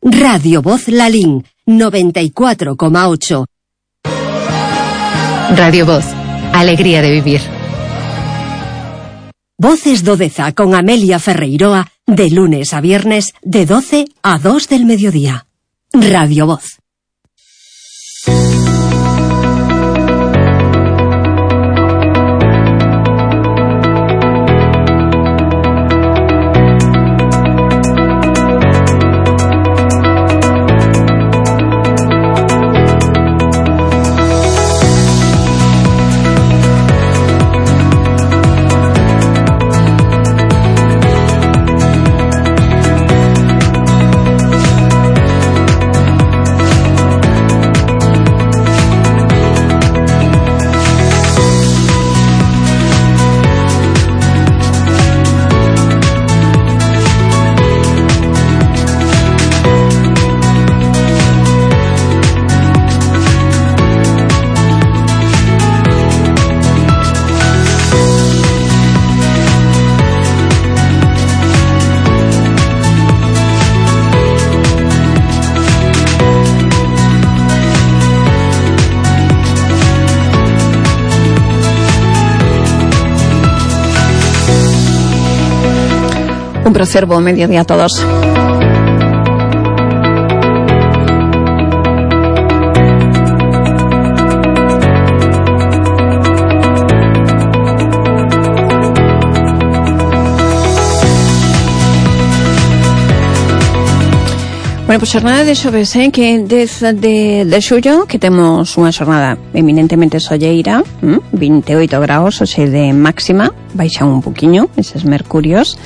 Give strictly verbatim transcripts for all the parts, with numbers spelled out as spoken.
Radio Voz Lalín, noventa y cuatro coma ocho. Radio Voz, alegría de vivir. Voces do Deza con Amelia Ferreiroa, de lunes a viernes, de doce a dos del mediodía. Radio Voz. Un placer, buen mediodía a todos. Bueno, pues xornada de xoves, eh, que desde de, de xullo que temos unha xornada eminentemente solleira, ¿m? veintiocho graus, oxe de máxima, baixan un poquinho eses mercurios,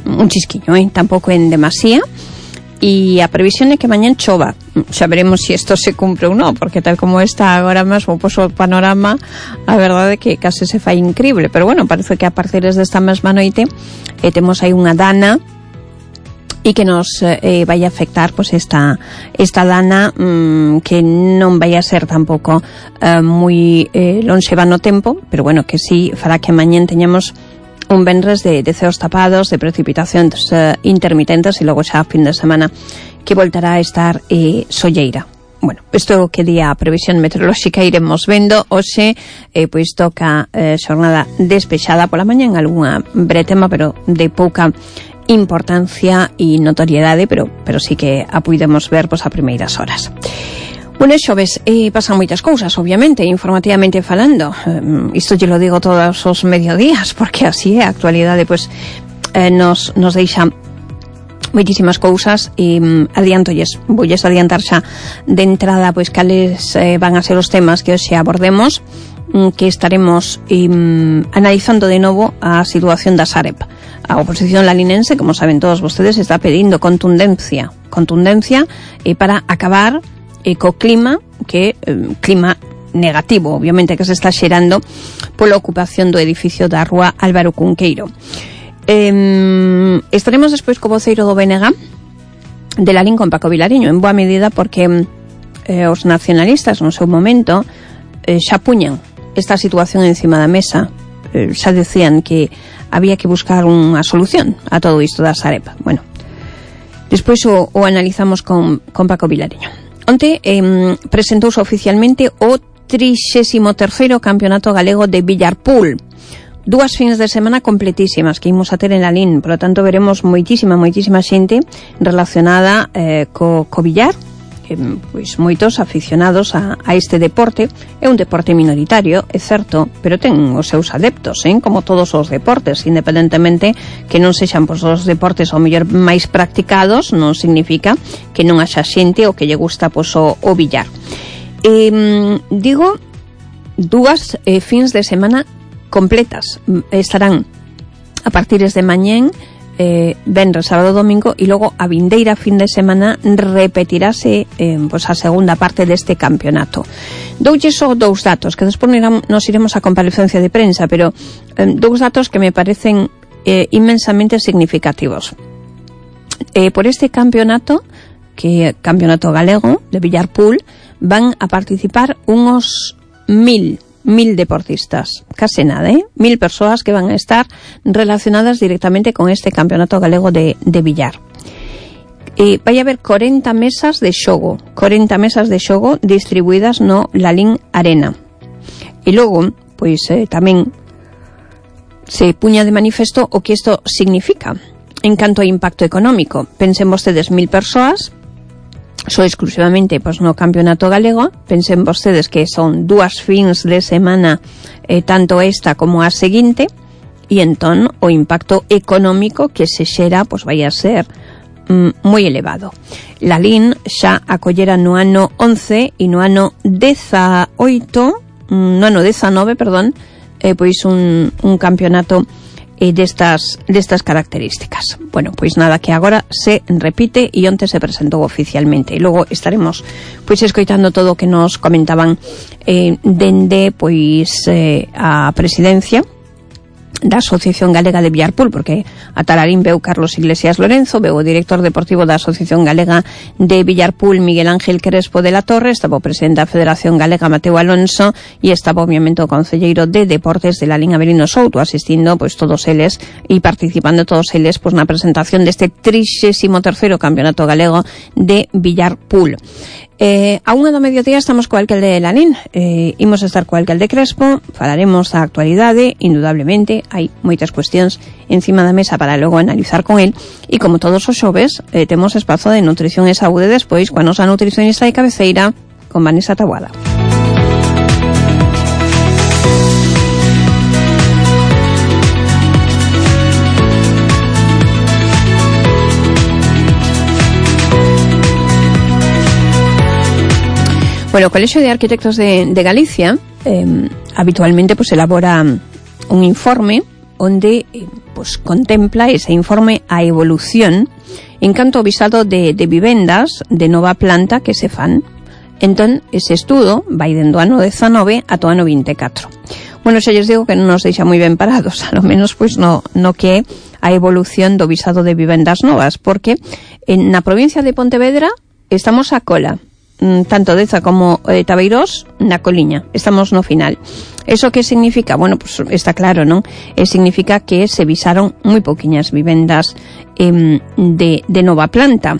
un chisquiño, eh, tampouco en demasía, e a previsión é que mañán chova. Xa veremos se si isto se cumpre ou non, porque tal como está agora mesmo pois, o panorama, a verdade é que case se fai increíble, pero bueno, parece que a partir desta mesma noite eh, temos aí unha dana e que nos eh, vai a afectar pois esta esta dana mmm, que non vai a ser tampouco eh, moi eh, longeva no tempo, pero bueno, que sí fará que mañán teñamos un venres de, de ceos tapados, de precipitacións eh, intermitentes e logo xa a fin de semana que voltará a estar eh, solleira. Bueno, isto que día a previsión meteorolóxica iremos vendo. Hoxe eh, pois toca eh, xornada despexada pola mañá en algunha bretema, pero de pouca importancia e notoriedade, pero pero sí que a puidemos ver pois a primeiras horas. Bueno, xoves, eh, pasan moitas cousas, obviamente, informativamente falando. Eh, isto lle lo digo todos os mediodías, porque así é a actualidade, pois, eh, nos, nos deixa moitísimas cousas e um, adiantolles, voulles adiantar xa de entrada, pois, cales eh, van a ser os temas que hoxe abordemos, um, que estaremos um, analizando de novo a situación da Sareb. A oposición lalinense, como saben todos vostedes, está pedindo contundencia, contundencia eh, para acabar e co clima, que eh, clima negativo, obviamente, que se está xerando pola ocupación do edificio da rúa Álvaro Cunqueiro. Eh, estaremos despois co voceiro do B N G de Lalín con Paco Vilariño, en boa medida porque eh, os nacionalistas no seu momento eh, xa puñan esta situación encima da mesa, eh, xa decían que había que buscar unha solución a todo isto da Sareb. Bueno, despois o, o analizamos con, con Paco Vilariño. Onte eh, presentouse oficialmente o trixésimo terceiro Campeonato Galego de Billarpool. Dúas fins de semana completísimas que imos a ter en Lalín, por lo tanto veremos moitísima, moitísima xente relacionada eh, co, co billar, que, pois moitos aficionados a, a este deporte. É un deporte minoritario, é certo, pero ten os seus adeptos, eh, como todos os deportes, independentemente que non sexan pois, os deportes ao mellor máis practicados, non significa que non haxa xente o que lle gusta pois, o, o billar. Eh, digo, dúas eh, fins de semana completas. Estarán a partires de mañén, eh, venres, sábado, domingo, e logo a vindeira fin de semana repetirase eh, pues a segunda parte deste campeonato. Doulle só dous datos, que despois nos iremos a comparecencia de prensa, pero eh, dous datos que me parecen eh, inmensamente significativos. Eh, por este campeonato, que é campeonato galego de Billarpool, van a participar unos mil mil deportistas, case nada, ¿eh? Mil persoas que van a estar relacionadas directamente con este campeonato galego de, de billar. E vai haber corenta mesas de xogo, corenta mesas de xogo distribuídas no Lalín Arena. E logo, pois eh, tamén se puña de manifesto o que isto significa en canto a impacto económico. Pensen vostedes mil persoas só exclusivamente pois, no campeonato galego. Pensen vostedes que son dúas fins de semana, eh, tanto esta como a seguinte, e entón o impacto económico que se xera pois, vai a ser mm, moi elevado. Lalín xa acollera no ano once e no ano dezaoito, mm, no ano dezanove, perdón, eh, pois un, un campeonato e destas destas características. Bueno, pois nada, que agora se repite e onte se presentou oficialmente. E logo estaremos pois escoitando todo o que nos comentaban eh, dende pois eh, a presidencia da Asociación Galega de Villarpool, porque a Talarín veu Carlos Iglesias Lorenzo, veu o director deportivo da Asociación Galega de Villarpool, Miguel Ángel Crespo de la Torre, estaba o presidente da Federación Galega, Mateo Alonso, e estaba obviamente o concelleiro de Deportes de Lalín, Avelino Souto, asistindo pois todos eles e participando todos eles pois na presentación deste trixésimo terceiro Campeonato Galego de Villarpool. Eh, a unha do mediodía estamos co alcalde de Lalín, eh, imos estar co alcalde Crespo, falaremos da actualidade, indudablemente hai moitas cuestións encima da mesa para logo analizar con el, e como todos os xoves eh, temos espazo de nutrición e saúde despois coa nosa nutricionista de cabeceira con Vanessa Taboada. Bueno, o Colexio de Arquitectos de, de Galicia eh, habitualmente pues, elabora un informe onde eh, pues, contempla ese informe a evolución en canto ao visado de, de vivendas de nova planta que se fan. Entón, ese estudo vai dendo ano dezanove ata o ano vinte e catro. Bueno, xa lles digo que non nos deixa moi ben parados, a lo menos pois no, no que é a evolución do visado de vivendas novas, porque en, na provincia de Pontevedra estamos a cola, tanto Deza como eh, Tabeirós na coliña, estamos no final. Eso que significa? Bueno, pues está claro, non? Eh, significa que se visaron moi pouquiñas vivendas eh, de, de nova planta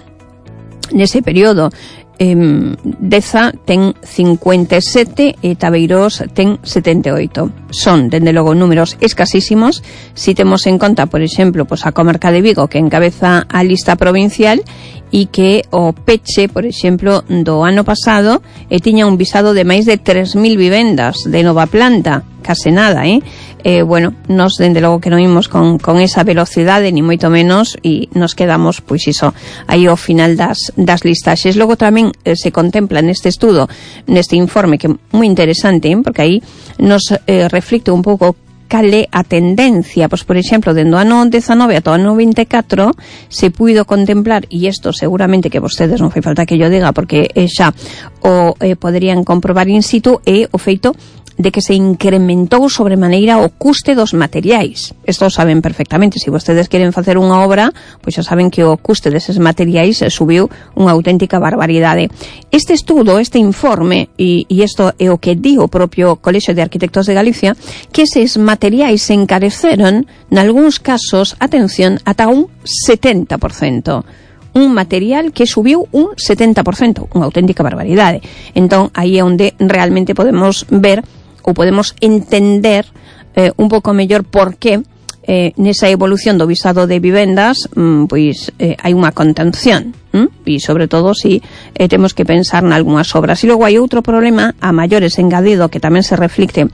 nese período. Eh, Deza ten cincuenta e sete e Tabeirós ten setenta e oito. Son, dende logo, números escasísimos si temos en conta, por exemplo, pues, a comarca de Vigo, que encabeza a lista provincial e que o peche, por exemplo, do ano pasado e tiña un visado de máis de tres mil vivendas de nova planta, case nada, eh? Eh, bueno, nos dende logo que non imos con, con esa velocidade, ni moito menos, e nos quedamos, pois iso, aí ao final das, das listaxes. Logo tamén eh, se contempla neste estudo, neste informe, que é moi interesante, eh? Porque aí nos eh, reflicte un pouco cale a tendencia, pois por exemplo, dende o ano dezanove ata o ano vinte e catro se puido contemplar, e isto seguramente que vostedes non fai falta que yo diga, porque eh, xa o eh, poderían comprobar in situ, é o feito de que se incrementou sobremaneira o custe dos materiais. Isto saben perfectamente. Se vostedes queren facer unha obra, pois xa saben que o custe deses materiais subiu unha auténtica barbaridade. Este estudo, este informe, e, e isto é o que di o propio Colexio de Arquitectos de Galicia, que eses materiais se encareceron, nalgúns casos, atención, ata un setenta por cento. Un material que subiu un setenta por cento, unha auténtica barbaridade. Entón, aí é onde realmente podemos ver ou podemos entender eh, un pouco mellor por que eh, nesa evolución do visado de vivendas mm, pois eh, hai unha contención, mm? E sobre todo si eh, temos que pensar nalgúnas obras. E logo hai outro problema a maiores engadido que tamén se reflicte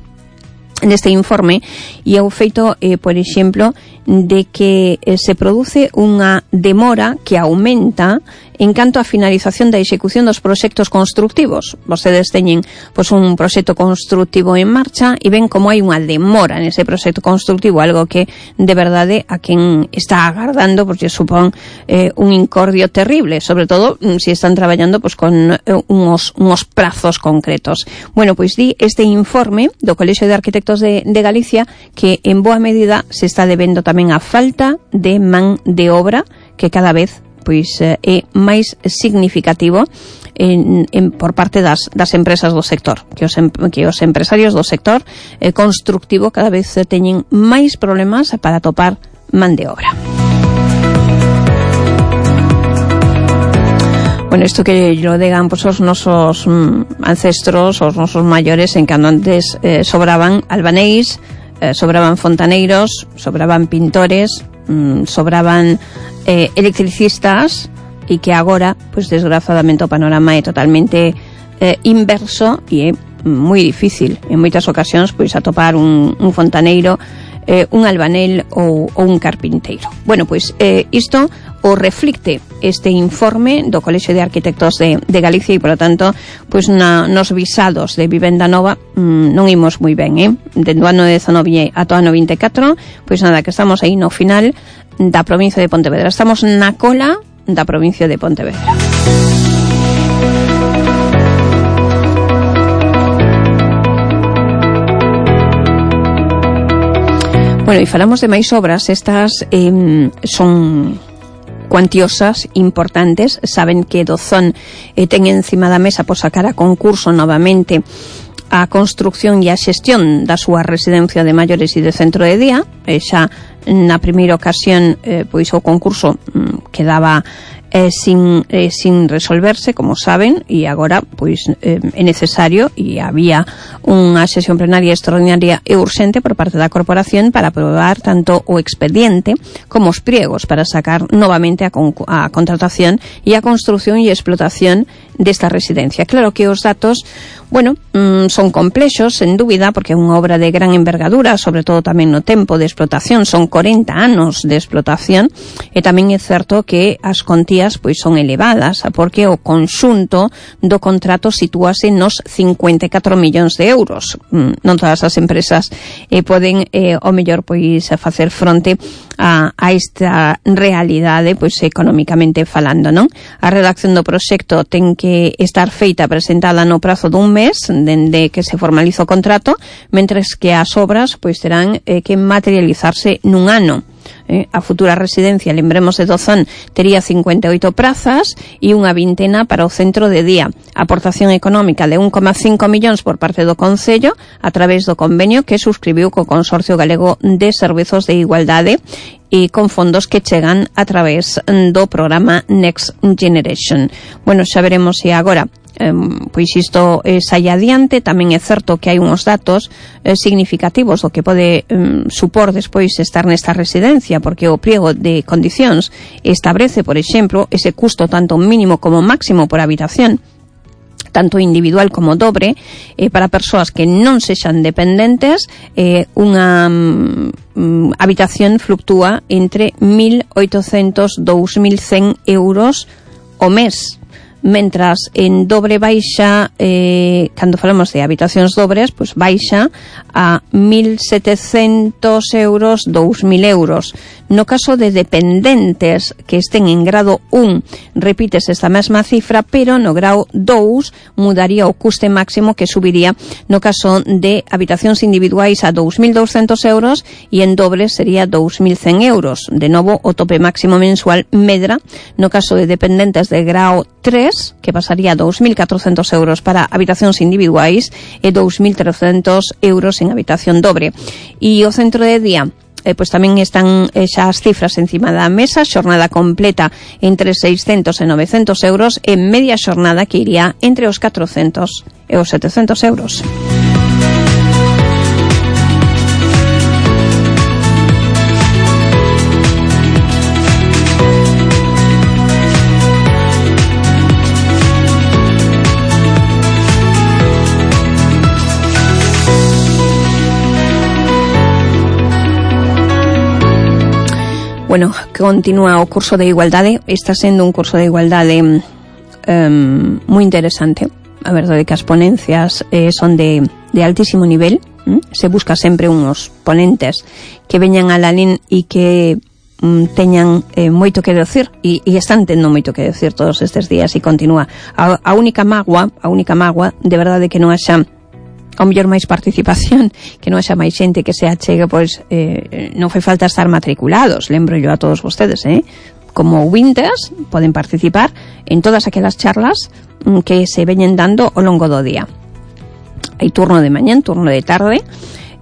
neste informe, e é o feito, eh, por exemplo, de que eh, se produce unha demora que aumenta en canto á finalización da execución dos proxectos constructivos. Vostedes teñen pois, un proxecto constructivo en marcha e ven como hai unha demora nese proxecto constructivo, algo que de verdade a quen está agardando pois, supón eh, un incordio terrible, sobre todo se si están traballando pois, con eh, unos, unos prazos concretos. Bueno, pois di este informe do Colexio de Arquitectos de, de Galicia que en boa medida se está debendo tamén a falta de man de obra que cada vez pois é máis significativo en, en, por parte das, das empresas do sector, que os, que os empresarios do sector eh, constructivo cada vez teñen máis problemas para topar man de obra. Bueno, isto que lo digan pues os nosos mm, ancestros, os nosos maiores, en cando antes eh, sobraban albaneis, eh, sobraban fontaneiros, sobraban pintores, mm, sobraban eh, electricistas, e que agora, pues desgraciadamente o panorama é totalmente eh, inverso e é moi difícil en moitas ocasións pois atopar un, un fontaneiro, eh, un albanel ou, ou un carpinteiro. Bueno, pois eh, isto o reflicte este informe do Colexio de Arquitectos de, de Galicia e, polo tanto, pois na, nos visados de vivenda nova mmm, non imos moi ben, eh? Dende o ano dezanove ata o ano vinte e catro, pois nada, que estamos aí no final da provincia de Pontevedra. Estamos na cola da provincia de Pontevedra. Bueno, e falamos de máis obras. Estas eh, son cuantiosas, importantes. Saben que Dozón eh, ten encima da mesa por sacar a concurso novamente a construcción e a xestión da súa residencia de maiores e de centro de día. E xa na primeira ocasión eh, pois o concurso mm, quedaba eh, sin, eh, sin resolverse, como saben, e agora pois eh, é necesario, e había unha sesión plenaria extraordinaria e urxente por parte da corporación para aprobar tanto o expediente como os pliegos para sacar novamente a, con, a contratación e a construcción e explotación desta residencia. Claro que os datos, bueno, mmm, son complexos, sen dúbida, porque é unha obra de gran envergadura, sobre todo tamén no tempo de explotación, son corenta anos de explotación, e tamén é certo que as contías pois son elevadas, porque o conxunto do contrato sitúase nos cincuenta e catro millóns de euros. Non todas as empresas eh, poden, eh, o mellor, pois facer fronte a, a esta realidade, pois económicamente falando, non? A redacción do proxecto ten que estar feita, presentada no prazo dun mes dende que se formaliza o contrato, mentres que as obras pois terán eh, que materializarse nun ano. Eh, a futura residencia, lembremos de Dozón, tería cincuenta e oito prazas e unha vintena para o centro de día. Aportación económica de un coma cinco millóns por parte do Concello a través do convenio que suscribiu co Consorcio Galego de Servizos de Igualdade e con fondos que chegan a través do programa Next Generation. Bueno, xa veremos se agora Um, pois isto eh, sai adiante. Tamén é certo que hai uns datos eh, significativos do que pode um, supor despois estar nesta residencia, porque o pliego de condicións establece, por exemplo, ese custo tanto mínimo como máximo por habitación, tanto individual como dobre, eh, para persoas que non sexan dependentes. eh, unha um, habitación fluctúa entre mil oitocentos e dous mil cen euros o mes, mentras en dobre baixa, eh, cando falamos de habitacións dobres, pois baixa a mil setecentos euros, dous mil euros. No caso de dependentes que estén en grado un, repítese esta mesma cifra, pero no grau dous mudaría o custe máximo, que subiría no caso de habitacións individuais a dous mil douscentos euros e en dobles sería dous mil cen euros. De novo, o tope máximo mensual medra no caso de dependentes de grau tres, que pasaría a dous mil catrocentos euros para habitacións individuais e dous mil trescentos euros en habitación dobre. E o centro de día, eh, pois tamén están eh, xa as cifras encima da mesa. Xornada completa entre seiscentos e novecentos euros, e media xornada que iría entre os catrocentos e os setecentos euros. Bueno, continúa o curso de igualdade. Está sendo un curso de igualdade um, moi interesante. A verdade é que as ponencias eh, son de, de altísimo nivel. ¿Mm? Se busca sempre uns ponentes que veñan a la lin e que um, teñan eh, moito que decir, e, e están tendo moito que decir todos estes días, e continúa. A, a única mágoa, a única mágoa, de verdade, que non haxa ao mellor máis participación, que non haxa máis xente que se achegue, pois eh, non fai falta estar matriculados, lembro yo a todos vostedes, eh? Como ouvintes poden participar en todas aquelas charlas mm, que se veñen dando ao longo do día. Hai turno de mañán, turno de tarde.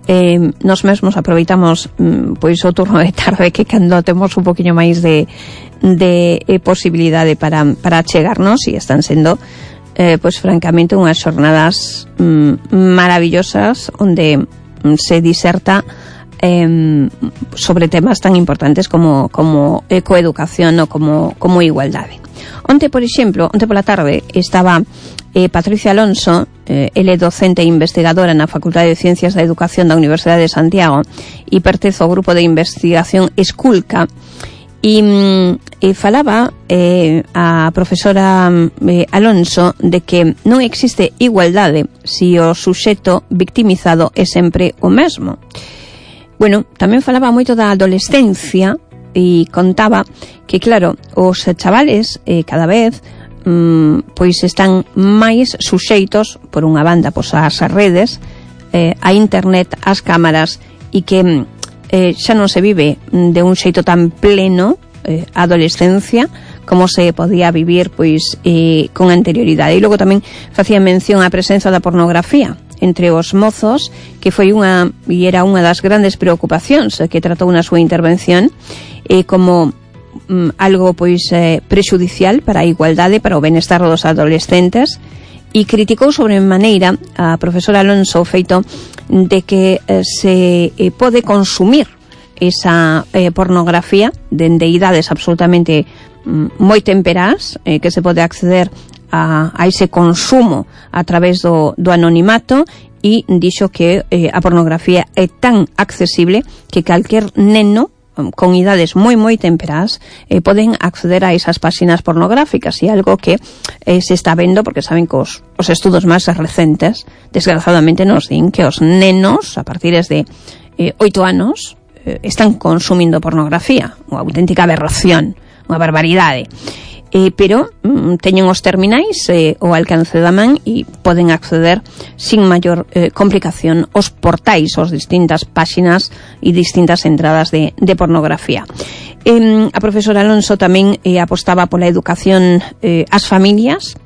Eh, nos mesmos aproveitamos mm, pois o turno de tarde, que cando temos un poquinho máis de, de eh, posibilidade para, para chegarnos, e están sendo eh, pois francamente unhas xornadas mm, maravillosas onde mm, se diserta eh, sobre temas tan importantes como, como ecoeducación ou como, como igualdade. Onte, por exemplo, onte pola tarde estaba eh, Patricia Alonso, eh, ele docente e investigadora na Facultade de Ciencias da Educación da Universidade de Santiago e pertence ao grupo de investigación Esculca, e, e falaba eh, a profesora eh, Alonso de que non existe igualdade se o suxeto victimizado é sempre o mesmo. Bueno, tamén falaba moito da adolescencia e contaba que, claro, os chavales eh, cada vez mm, pois están máis suxeitos por unha banda pois ás redes, eh, a internet, ás cámaras, e que eh, xa non se vive de un xeito tan pleno eh, a adolescencia como se podía vivir pois eh, con anterioridade. E logo tamén facía mención á presenza da pornografía entre os mozos, que foi unha e era unha das grandes preocupacións que tratou na súa intervención eh, como mm, algo pois eh, prexudicial para a igualdade, para o benestar dos adolescentes, e criticou sobre maneira a profesora Alonso o feito de que eh, se eh, pode consumir esa eh, pornografía dende idades absolutamente mm, moi temperás, eh, que se pode acceder a, a ese consumo a través do, do anonimato, e dixo que eh, a pornografía é tan accesible que calquer neno con idades moi moi temperás eh, poden acceder a esas páxinas pornográficas, e algo que eh, se está vendo, porque saben que os, os estudos máis recentes desgraciadamente nos din que os nenos a partir de eh, oito anos eh, están consumindo pornografía, unha auténtica aberración, unha barbaridade. Eh, pero mm, teñen os terminais eh, ao alcance da man e poden acceder sin maior eh, complicación aos portais, aos distintas páxinas e distintas entradas de, de pornografía. Eh, a profesora Alonso tamén eh, apostaba pola educación eh, ás familias,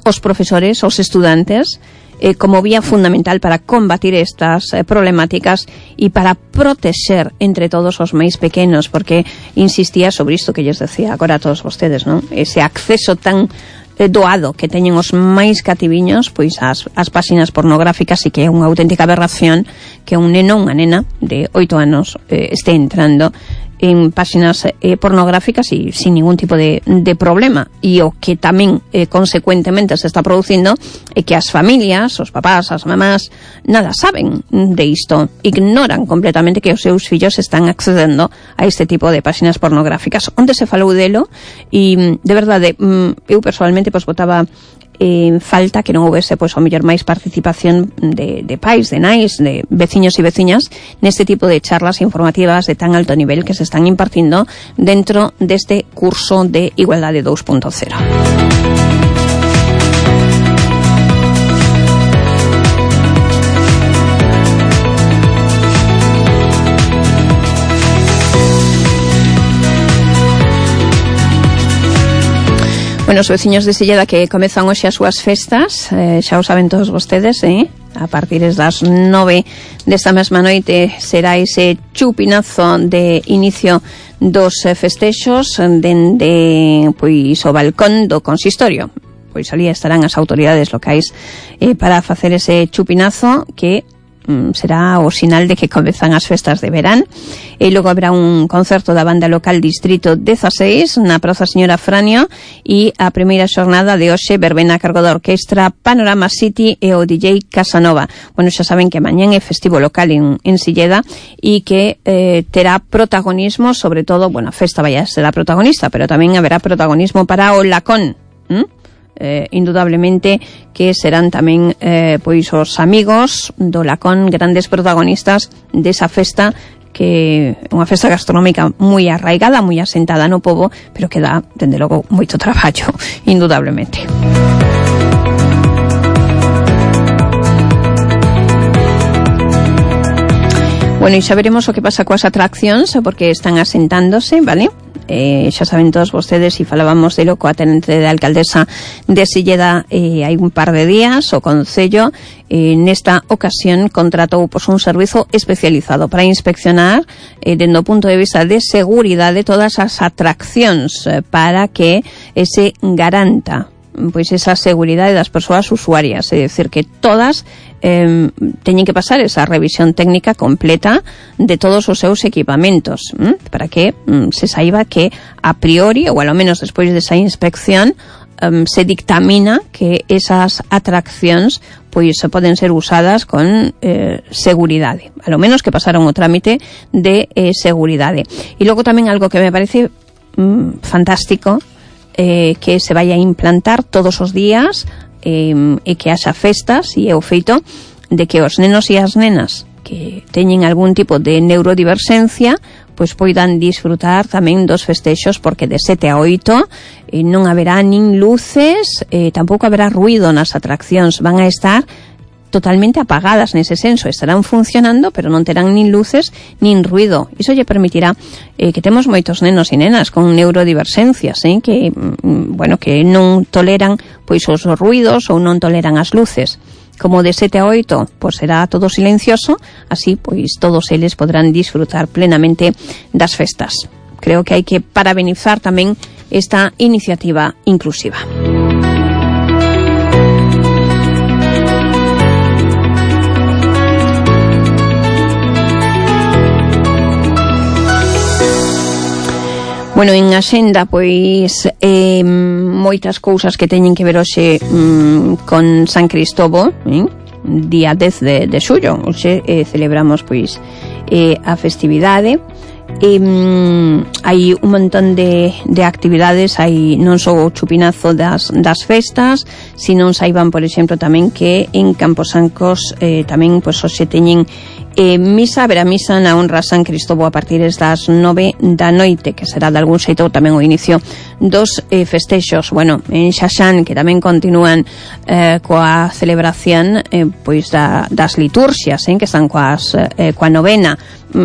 os profesores, os estudantes, eh, como vía fundamental para combatir estas eh, problemáticas e para protexer entre todos os máis pequenos, porque insistía sobre isto que lles decía agora a todos vostedes, non? Ese acceso tan eh, doado que teñen os máis cativiños pois as, as páxinas pornográficas, e que é unha auténtica aberración que un neno, unha nena de oito anos eh, este entrando en páxinas eh, pornográficas e sin ningún tipo de, de problema. E o que tamén eh, consecuentemente se está producindo é que as familias, os papás, as mamás, nada saben de isto, ignoran completamente que os seus fillos están accedendo a este tipo de páxinas pornográficas. Onde se falou delo, e de verdade eu personalmente pois botaba en falta que non houvese pois ao mellor máis participación de, de pais, de nais, de veciños e veciñas neste tipo de charlas informativas de tan alto nivel que se están impartindo dentro deste curso de Igualdade dos punto cero. Bueno, os veciños de Silleda que comezan hoxe as súas festas, eh, xa o saben todos vostedes, eh? A partir das nove desta mesma noite será ese chupinazo de inicio dos festexos dende pois o balcón do consistorio. Pois ali estarán as autoridades locais eh, para facer ese chupinazo que será o sinal de que comezan as festas de verán. E logo habrá un concerto da banda local Distrito dezasseis na Praza Señora Franio, e a primeira xornada de hoxe verbena a cargo da orquestra Panorama City e o D J Casanova. Bueno, xa saben que mañán é festivo local en, en Silleda, e que eh, terá protagonismo, sobre todo, bueno, a festa vai a ser a protagonista, pero tamén haberá protagonismo para o Lacón, ¿Mm? Eh, indudablemente que serán tamén eh, pois os amigos do Lacón grandes protagonistas desa festa, que é unha festa gastronómica moi arraigada, moi asentada no pobo, pero que dá, dende logo, moito traballo, indudablemente. Bueno, e xa veremos o que pasa coas atraccións, porque están asentándose, vale? eh, xa saben todos vostedes, e falábamos de lo coa tenente da alcaldesa de Silleda eh, hai un par de días. O Concello eh, nesta ocasión contratou pois, un servizo especializado para inspeccionar eh, dende o punto de vista de seguridade todas as atraccións eh, para que eh, se garanta pois esa seguridade das persoas usuarias, é dicir, que todas eh, teñen que pasar esa revisión técnica completa de todos os seus equipamentos, ¿m? para que mm, se saiba que a priori, ou ao menos despois desa inspección, um, se dictamina que esas atraccións pois se poden ser usadas con eh, seguridade, a lo menos que pasaron o trámite de eh, seguridade. E logo tamén algo que me parece mm, fantástico, Eh, que se vai a implantar todos os días eh, e que haxa festas, e é o feito de que os nenos e as nenas que teñen algún tipo de neurodiversencia pois poidan disfrutar tamén dos festexos, porque de sete a oito eh, non haberá nin luces, eh, tampouco haberá ruido nas atraccións, van a estar totalmente apagadas nese senso, estarán funcionando pero non terán nin luces nin ruido. Iso lle permitirá eh, que temos moitos nenos e nenas con neurodiversencias, eh, que mm, bueno, que non toleran pois os ruidos ou non toleran as luces. Como de sete a oito, pois será todo silencioso, así pois todos eles podrán disfrutar plenamente das festas. Creo que hai que parabenizar tamén esta iniciativa inclusiva. Bueno, en axenda, pois, eh, moitas cousas que teñen que ver hoxe mm, con San Cristobo, eh? día dez de, de xullo. Hoxe eh, celebramos, pois, eh, a festividade. E, mm, hai un montón de, de actividades, hai non só o chupinazo das, das festas, sino saiban, por exemplo, tamén que en Camposancos eh, tamén, pois, hoxe teñen Eh, misa, haberá misa na honra a San Cristobo a partir das nove da noite, que será de algún xeito tamén o inicio dos eh, festexos. Bueno, en Xaxán, que tamén continúan eh, coa celebración eh, pois da, das liturxias, eh, que están coas, eh, coa novena.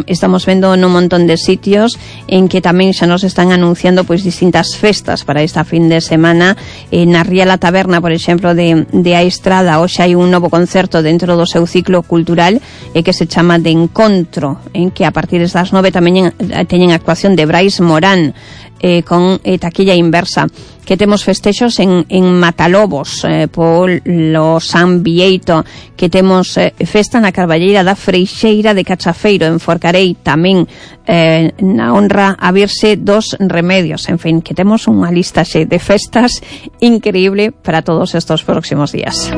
Estamos vendo nun montón de sitios en que tamén xa nos están anunciando pois distintas festas para esta fin de semana. Eh, na Ría La Taberna, por exemplo, de, de A Estrada, hoxe hai un novo concerto dentro do seu ciclo cultural eh, que se chama De Encontro, en que a partir das nove tamén teñen actuación de Brais Morán, eh, con eh, taquilla inversa. Que temos festexos en, en Matalobos, eh, polo San Bieito, que temos eh, festa na Carballeira da Freixeira de Cachafeiro, en Forcarei, tamén eh, na honra a Virxe dos Remedios. En fin, que temos unha lista xe de festas increíble para todos estos próximos días.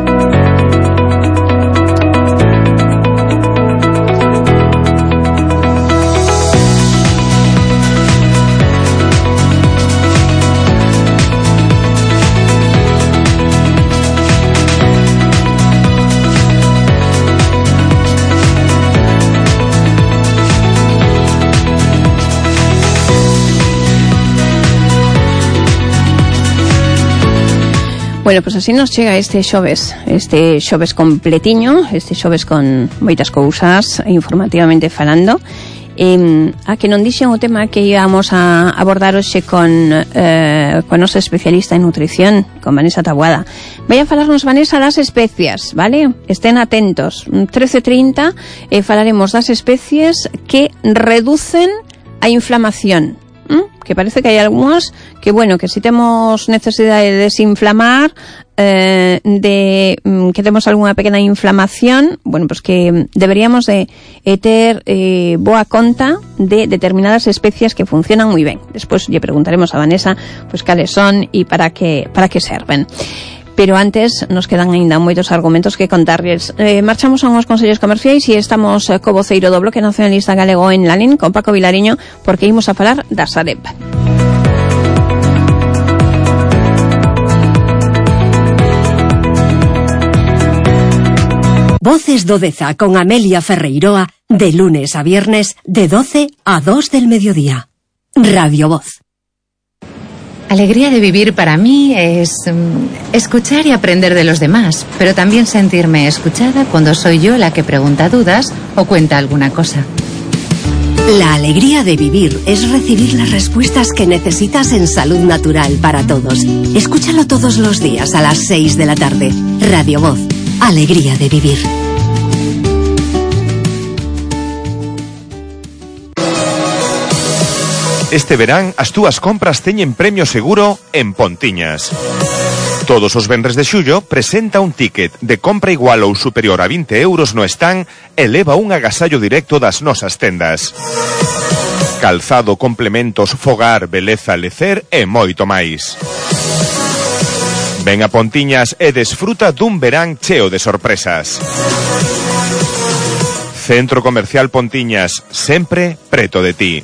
Bueno, pois pues así nos chega este xoves, este xoves completiño, este xoves con moitas cousas informativamente falando. Eh, a que non dixen o tema que íamos a abordar hoxe con eh, con nosa especialista en nutrición, con Vanessa Taboada. Vai a falarnos, Vanessa, das especias, vale? Estén atentos. trece trinta eh, falaremos das especies que reducen a inflamación. ¿Mm? Que parece que hai algunhas que, bueno, que si temos necesidade de desinflamar, eh, de mm, que temos algunha pequena inflamación, bueno, pues que deberíamos de eh, ter eh, boa conta de determinadas especias que funcionan moi ben. Despois lle preguntaremos a Vanessa pues cales son e para que para que serven. Pero antes nos quedan aínda moitos argumentos que contarles. Eh, marchamos a uns consellos comerciais e estamos eh, co voceiro do Bloque Nacionalista Galego en Lalín, con Paco Vilariño, porque imos a falar da Sareb. Voces do Deza con Amelia Ferreiroa, de lunes a viernes, de doce a dos del mediodía. Radio Voz. Alegría de vivir para mí es um, escuchar y aprender de los demás, pero también sentirme escuchada cuando soy yo la que pregunta dudas o cuenta alguna cosa. La alegría de vivir es recibir las respuestas que necesitas en Salud Natural para Todos. Escúchalo todos los días a las seis de la tarde. Radio Voz. Alegría de vivir. Este verán as túas compras teñen premio seguro en Pontiñas. Todos os venres de xullo presenta un ticket de compra igual ou superior a vinte euros no stand e leva un agasallo directo das nosas tendas. Calzado, complementos, fogar, beleza, lecer e moito máis. Ven a Pontiñas e desfruta dun verán cheo de sorpresas. Centro Comercial Pontiñas, sempre preto de ti.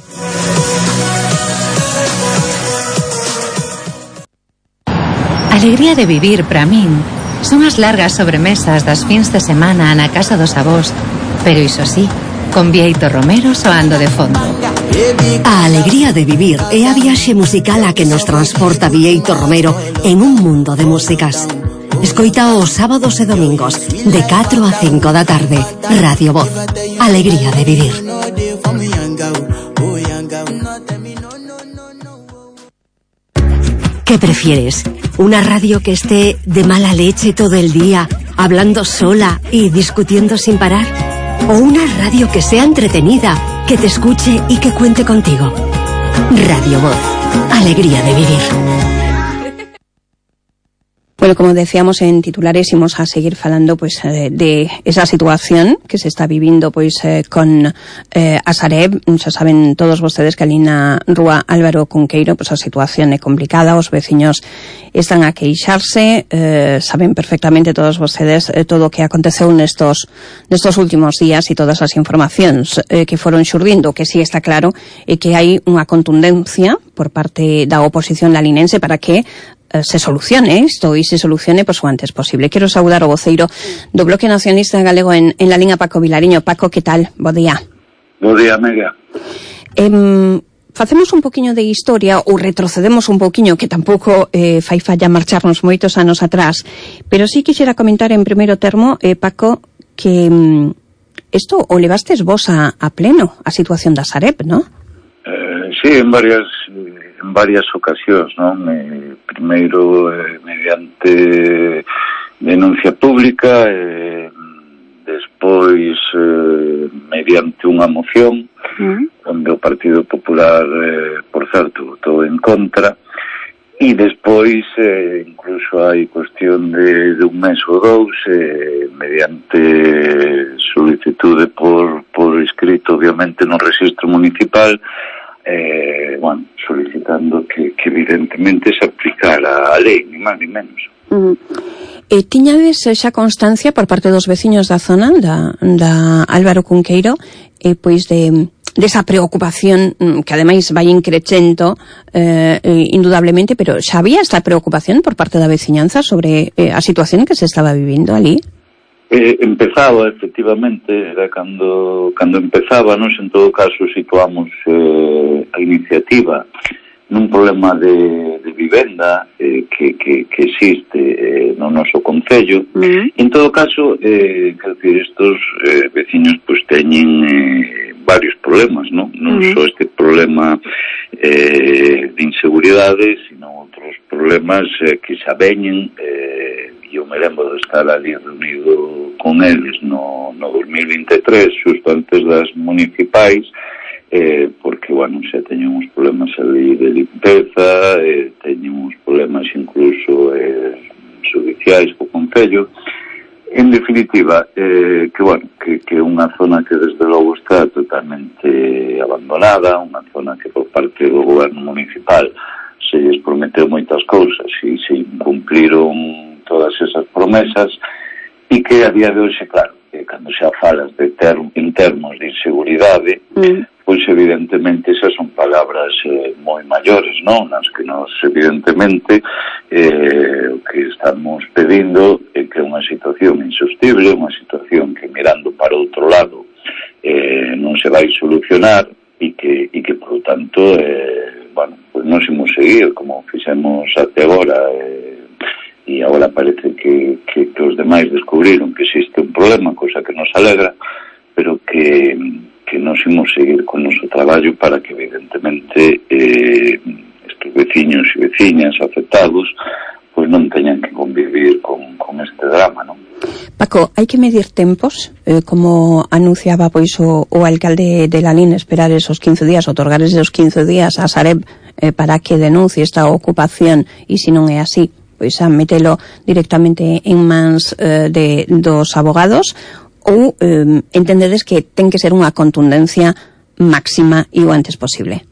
Alegría de vivir, para min, son as largas sobremesas das fins de semana na casa dos avós, pero iso sí, con Bieito Romero soando de fondo. A alegría de vivir é a viaxe musical a que nos transporta Bieito Romero en un mundo de músicas. Escoita os sábados e domingos, de catro a cinco da tarde. Radio Voz. Alegría de vivir. ¿Qué prefieres? ¿Una radio que esté de mala leche todo el día, hablando sola y discutiendo sin parar? ¿O una radio que sea entretenida, que te escuche y que cuente contigo? Radio Voz. Alegría de vivir. Bueno, como decíamos en titulares, íbamos a seguir falando pues eh, de esa situación que se está vivindo pues eh, con eh, a Sareb. Xa saben todos vostedes que ali na rúa Álvaro Cunqueiro pues a situación é complicada, os veciños están a queixarse, eh, saben perfectamente todos vostedes eh, todo o que aconteceu nestos nestos últimos días e todas as informacións eh, que foron xurdindo, que sí está claro é que hai unha contundencia por parte da oposición lalinense para que se solucione isto e se solucione pues, o antes posible. Quero saudar o voceiro do Bloque Nacionalista Galego en, en la liña, Paco Vilariño. Paco, que tal? Bo día. Bo día, Mega. Eh, facemos un poquinho de historia ou retrocedemos un poquinho, que tampouco eh, fai falla marcharnos moitos anos atrás, pero sí quixera comentar en primeiro termo, eh, Paco, que isto mm, o levastes vos a, a pleno, a situación da Sareb, non? Eh, sí, en varias... en varias ocasións, non? Eh, primeiro eh, mediante denuncia pública, eh, despois eh, mediante unha moción, mm. onde o Partido Popular, eh, por certo, votou en contra, e despois eh, incluso hai cuestión de, de un mes ou dous, eh, mediante solicitude por, por escrito, obviamente, no registro municipal, Eh, bueno, solicitando que, que evidentemente se aplicara a lei, ni máis ni menos. Uh-huh. E tiñades xa constancia por parte dos veciños da zona da, da Álvaro Cunqueiro eh, pois de desa preocupación que ademais vai increcendo eh, indudablemente, pero xa había esta preocupación por parte da veciñanza sobre eh, a situación que se estaba vivindo ali? Eh, empezaba, efectivamente, era cando, cando empezábamos, en todo caso situamos eh, a iniciativa nun problema de, de vivenda eh, que, que, que existe eh, no noso concello. Mm. En todo caso, eh, quero dicir, estos eh, veciños pues teñen eh, varios problemas, non? Non mm. só este problema eh, de inseguridade, sino outros problemas eh, que xa veñen, eh, e eu me lembro de estar ali reunido con eles no, no dos mil vinte e tres, xusto antes das municipais, eh, porque, bueno, xa teñen uns problemas ali de limpeza, eh, teñen uns problemas incluso eh, judiciais co concello. En definitiva, eh, que, bueno, que, que unha zona que desde logo está totalmente abandonada, unha zona que por parte do goberno municipal se lles prometeu moitas cousas e se incumpliron todas esas promesas, e que a día de hoxe, claro, que cando xa falas de ter, en termos de inseguridade, mm. pois evidentemente esas son palabras eh, moi maiores, non? Nas que nos evidentemente eh, o que estamos pedindo é que é unha situación insostible, unha situación que mirando para outro lado eh, non se vai solucionar e que, e que por lo tanto eh, bueno, pois non imos seguir como fixemos até agora, eh, e agora parece que, que, que os demais descubriron que existe un problema, cosa que nos alegra, pero que, que nos imos seguir con o noso traballo para que evidentemente eh, estes veciños e veciñas afectados pois non teñan que convivir con, con este drama, non? Paco, hai que medir tempos, eh, como anunciaba pois o, o alcalde de Lalín, esperar esos quince días, otorgar esos quince días a Sareb eh, para que denuncie esta ocupación, e se non é así, pois a metelo directamente en mans eh, de, dos abogados, ou eh, entendedes que ten que ser unha contundencia máxima e o antes posible?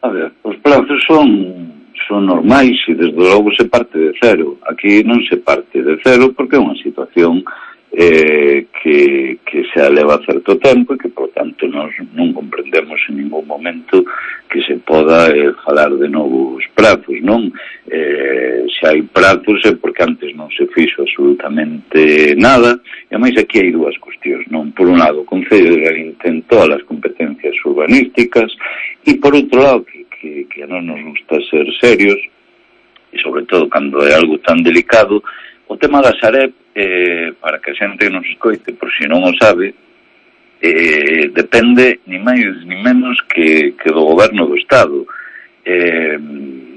A ver, os plazos son son normais e desde logo se parte de cero. Aquí non se parte de cero porque é unha situación eh, que, que se eleva certo tempo e que, por tanto, nós non comprendemos en ningún momento que se poda eh, falar de novos prazos, non? Eh, se hai prazos é porque antes non se fixo absolutamente nada, e ademais aquí hai dúas cuestións, non? Por un lado, o Concello de Lalín ten todas as competencias urbanísticas e, por outro lado, que Que, que a non nos gusta ser serios e sobre todo cando é algo tan delicado, o tema da Sareb, eh, para que a xente nos escoite, por si non o sabe, eh, depende ni máis ni menos que, que do goberno do Estado. Eh,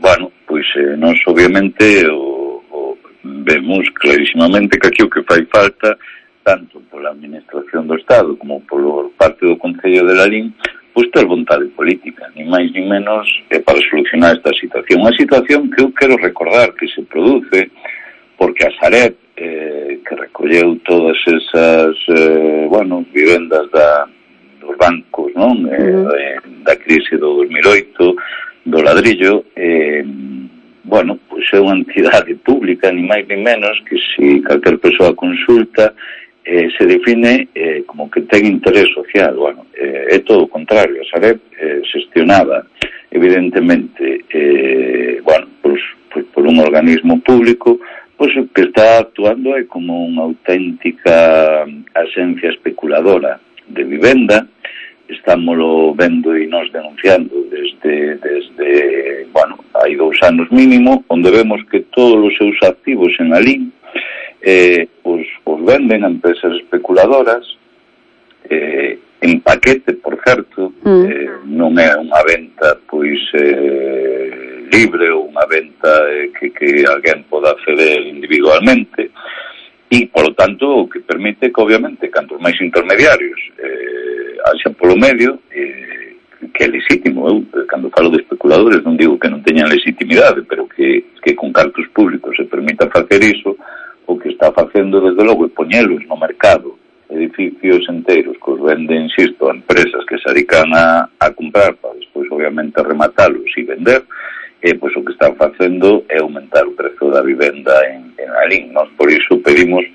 bueno, pois eh, nós obviamente o, o vemos clarísimamente que aquí o que fai falta, tanto pola administración do Estado como por parte do Concello de Lalín, pois ter vontade política, ni máis ni menos, eh, para solucionar esta situación. Unha situación que eu quero recordar que se produce porque a Sareb, eh, que recolleu todas esas, eh, bueno, vivendas da, dos bancos, non? Eh, da crise do dos mil oito, do ladrillo, eh, bueno, pois é unha entidade pública, ni máis ni menos, que se calquer persoa consulta, Eh, se define eh, como que ten interés social. Bueno, eh, é todo o contrario. A Sareb eh, xestionada evidentemente eh, bueno, pues, pues por un organismo público, pues o que está actuando é como unha auténtica axencia especuladora de vivenda. Estámoslo vendo e nos denunciando desde, desde bueno, hai dous anos mínimo, onde vemos que todos os seus activos en Lalín Eh, os, os venden a empresas especuladoras eh, en paquete, por certo, mm. eh, non é unha venta pois eh, libre ou unha venta eh, que, que alguén poda acceder individualmente e, por lo tanto, o que permite que, obviamente, cantos máis intermediarios eh, haxa polo medio, eh, que é legítimo. Eu, cando falo de especuladores, non digo que non teñan legitimidade, pero que, que con cartos públicos se permita facer iso. O que está facendo, desde logo, é poñelos no mercado edificios enteiros que os venden, insisto, a empresas que se dedican a, a comprar para despois, obviamente, rematalos e vender, e pois o que están facendo é aumentar o prezo da vivenda en, en Lalín. Nós, por iso, pedimos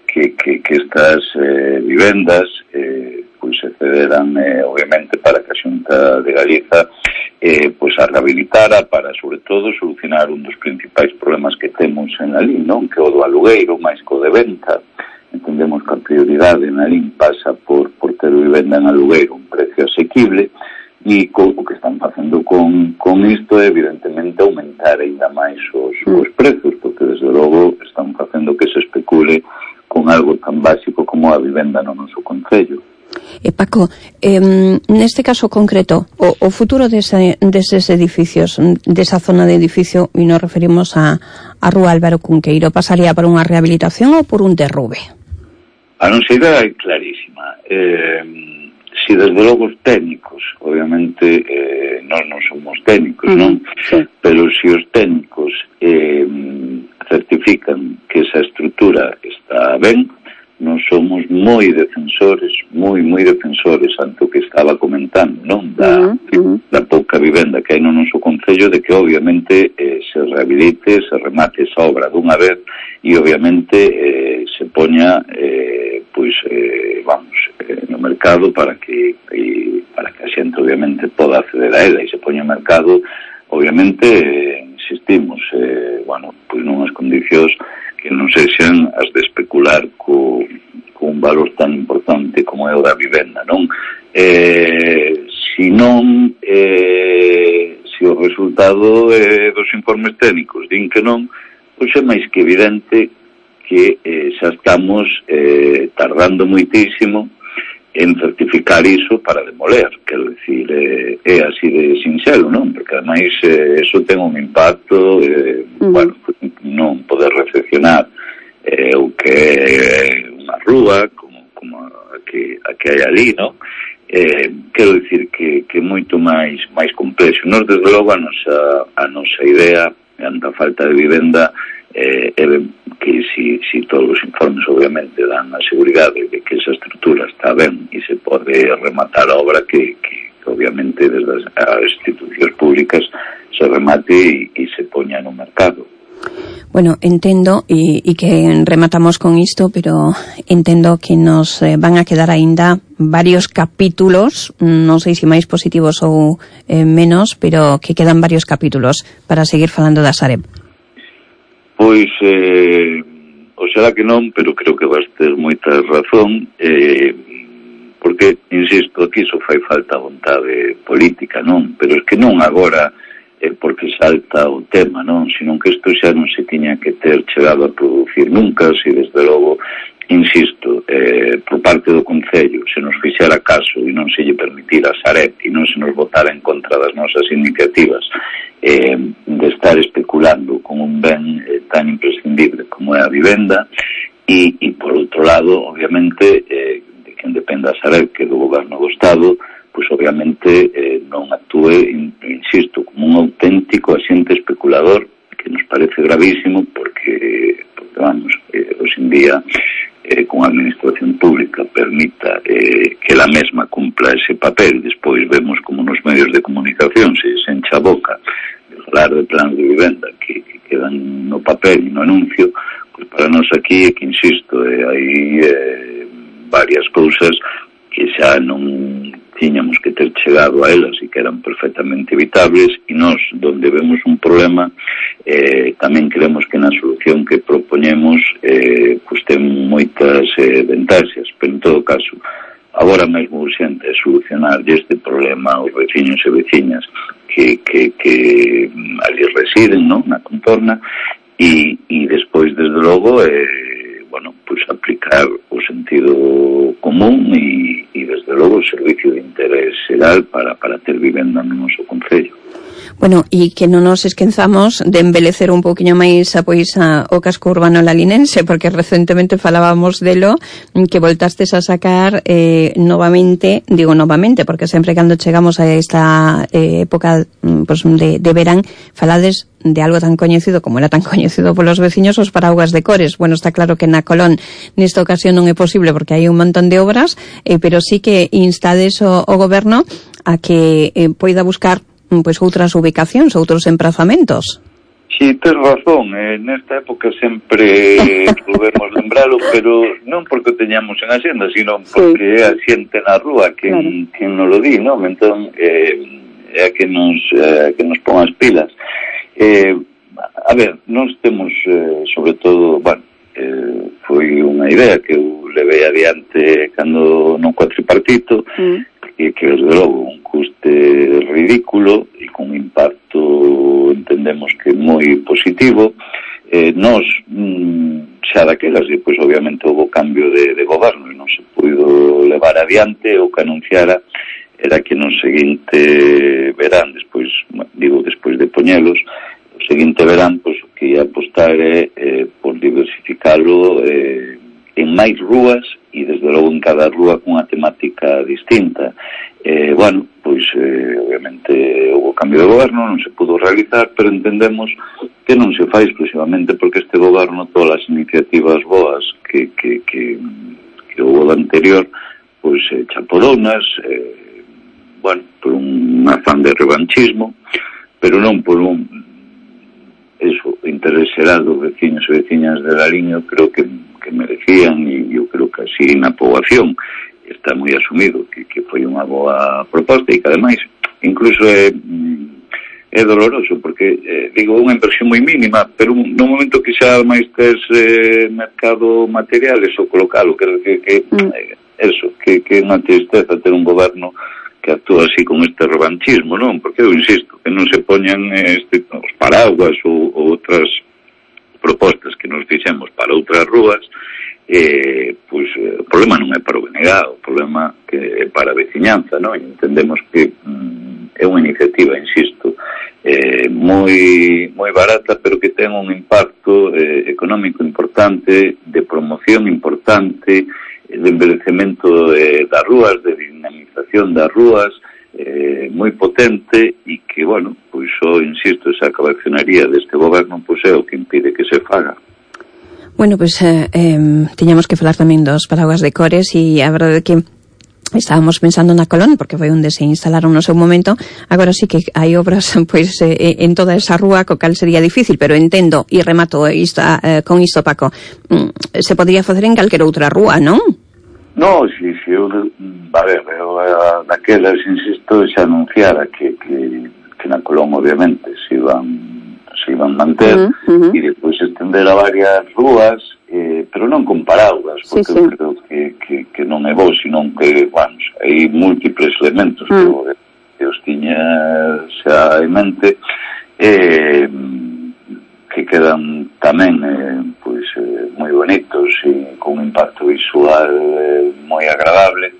que, que, que estas eh, vivendas eh, pois se cederan, eh, obviamente, para que a Xunta de Galiza eh, pois a rehabilitara para, sobre todo, solucionar un dos principais problemas que temos en Lalín, non? Que o do alugueiro máis co de venta. Entendemos que a prioridade en Lalín pasa por, por ter vivenda en alugueiro un precio asequible, e co, o que están facendo con, con isto é, evidentemente, aumentar ainda máis os, os prezos, porque, desde logo, están facendo que se especule con algo tan básico como a vivenda no noso concello. Eh, Paco, eh, neste caso concreto, o, o futuro dese, deses edificios, desa zona de edificio, e nos referimos a, a Rúa Álvaro Cunqueiro, pasaría por unha rehabilitación ou por un derrube? A nosa idea é clarísima. Eh, si desde logo os técnicos, obviamente eh, nós non somos técnicos, uh-huh. non? Sí. Pero si os técnicos eh, certifican que esa estrutura está ben, non somos moi defensores, moi, moi defensores, tanto que estaba comentando, non? Da, uh-huh. da pouca vivenda que hai no noso concello, de que obviamente eh, se rehabilite, se remate esa obra dunha vez e obviamente eh, se poña eh, pois, eh, vamos, eh, no mercado para que e, para que a xente obviamente poda acceder a ela, e se poña no mercado, obviamente, eh, insistimos, eh, bueno, pois nunhas condicións que non sexan as de especular co, co un valor tan importante como é o da vivenda, non? Eh, si non, eh, si o resultado eh, dos informes técnicos din que non, pois é máis que evidente que eh, xa estamos eh, tardando moitísimo en certificar iso para demoler, quero dicir, é, é así de sinxelo, non? Porque ademais eh, eso ten un impacto, eh, uh-huh. bueno, non poder recepcionar eh, o que é unha rúa, como, como a que, a que hai ali, non? Eh, quero dicir que, que é moito máis máis complexo. Nos, desde logo, a nosa, a nosa idea, ante a falta de vivenda, eh, é que si, si todos os informes obviamente dan a seguridade de que esa estrutura está ben e se pode rematar a obra, que, que, que obviamente desde as institucións públicas se remate e, e se poña no mercado. Bueno, entendo e, e que rematamos con isto, pero entendo que nos eh, van a quedar aínda varios capítulos, non sei se máis positivos ou eh, menos, pero que quedan varios capítulos para seguir falando da Sareb. Pois, eh, oxalá que non, pero creo que vas ter moita razón, eh, porque, insisto, aquí só fai falta vontade política, non? Pero é que non agora, eh, porque salta o tema, non? Senón que isto xa non se tiña que ter chegado a producir nunca, se desde logo, insisto, eh, por parte do Concello, se nos fixera caso e non se lle permitira a Sareb e non se nos votara en contra das nosas iniciativas, eh, de estar especulando con un ben eh, tan imprescindible como é a vivenda, e, e por outro lado, obviamente, eh, de quen dependa a Sareb, que do goberno do Estado, pois obviamente eh, non actúe, insisto, como un auténtico axente especulador, que nos parece gravísimo, porque, porque vamos, eh, hoxe en día, eh, con a administración pública permita eh, que la mesma cumpla ese papel. Despois vemos como nos medios de comunicación se, se encha a boca de falar de plans de vivenda que, que quedan no papel e no anuncio. Pois para nós aquí é que, insisto, eh, hai eh, varias cousas que xa non tiñamos que ter chegado a elas e que eran perfectamente evitables, e nós, donde vemos un problema, eh, tamén creemos que na solución que propoñemos eh, pues ten moitas eh, ventaxas, pero en todo caso agora mesmo urxente é solucionar este problema aos veciños e veciñas que, que, que ali residen, non? Na contorna, e, e despois, desde logo, eh, bueno, pues aplicar o sentido común e, e desde logo o servicio de interés xeral para, para ter vivenda no noso concello. Bueno, e que non nos esquenzamos de embelecer un poquinho máis a, pois, a, o casco urbano lalinense, porque recentemente falábamos delo, que voltastes a sacar eh, novamente, digo novamente, porque sempre cando chegamos a esta eh, época pues, de, de verán, falades de algo tan coñecido como era tan coñecido polos veciños, os paraugas de cores. Bueno, está claro que na Colón nesta ocasión non é posible porque hai un montón de obras, eh, pero sí que instades o, o goberno a que eh, poida buscar pois outras ubicacións, outros emprazamentos. Si, tes razón, eh, nesta época sempre podemos lembralo, pero non porque o teñamos en axenda, sino porque é a xente na rúa quen, claro. quen nos lo di, non? Entón, eh, é a que nos, eh, que nos pon as pilas. Eh, a ver, nós temos, eh, sobre todo, bueno, eh, foi unha idea que eu levei adiante cando non cuatripartito, mm. que, que desde logo un custe ridículo e con impacto entendemos que moi positivo. Eh, nos mm, xa daquelas, e pois obviamente houve cambio de, de goberno e non se puido levar adiante. O que anunciara era que no seguinte verán, despois, digo, despois de poñelos, o seguinte verán, pois o que ia apostar é eh, por diversificalo eh, en máis rúas e desde logo en cada rúa cunha temática distinta. Eh, bueno, pois eh, obviamente houve cambio de goberno, non se pudo realizar, pero entendemos que non se fai exclusivamente porque este goberno, todas as iniciativas boas que, que, que, que houve do anterior, pois eh, chaporonas, eh, bueno, por un afán de revanchismo, pero non por un eso, interés xeral dos veciños e veciñas de Lariño, creo que, que merecían, e eu creo que así na poboación está moi asumido que, que foi unha boa proposta e que ademais incluso é, é doloroso porque, eh, digo, unha inversión moi mínima, pero no momento que xa máis tes eh, mercado materiales ou colocalo, quero decir que eh, eso, que, que é unha tristeza ter un goberno que actúa así con este revanchismo, non? Porque eu insisto, que non se poñan este, os paraguas ou, ou outras propostas que nos fixemos para outras rúas, eh, pois o problema non é para o B N G, o problema que é para a veciñanza, non? E entendemos que mm, é unha iniciativa, insisto, eh, moi moi barata, pero que ten un impacto eh, económico importante, de promoción importante, de envelhecemento eh, das rúas, de dinamización das rúas, eh, moi potente, e que, bueno, pois só, insisto, esa cabezonería deste goberno pois é o que impide que se faga. Bueno, pois pues, eh, eh, tiñamos que falar tamén dos paraguas de cores, e a verdade é que estábamos pensando na Colón, porque foi onde se instalaron no seu momento. Agora sí que hai obras pois eh, en toda esa rúa, co cal sería difícil, pero entendo, e remato isto, eh, con isto, Paco, mm, se podría facer en calquera outra rúa, non? No, si, si, eu, a ver, eu daquelas, insisto, xa anunciara que, que, que na Colón, obviamente, se iban se iban manter, uh -huh, uh -huh. e depois estender a varias rúas, eh, pero non con paraguas, porque sí, sí. eu creo que, que, que non é bo, senón que, vamos, hai múltiples elementos uh -huh. que, que os tiña xa en mente, eh, que quedan tamén eh, pois, eh, moi bonitos e con un impacto visual eh, moi agradable,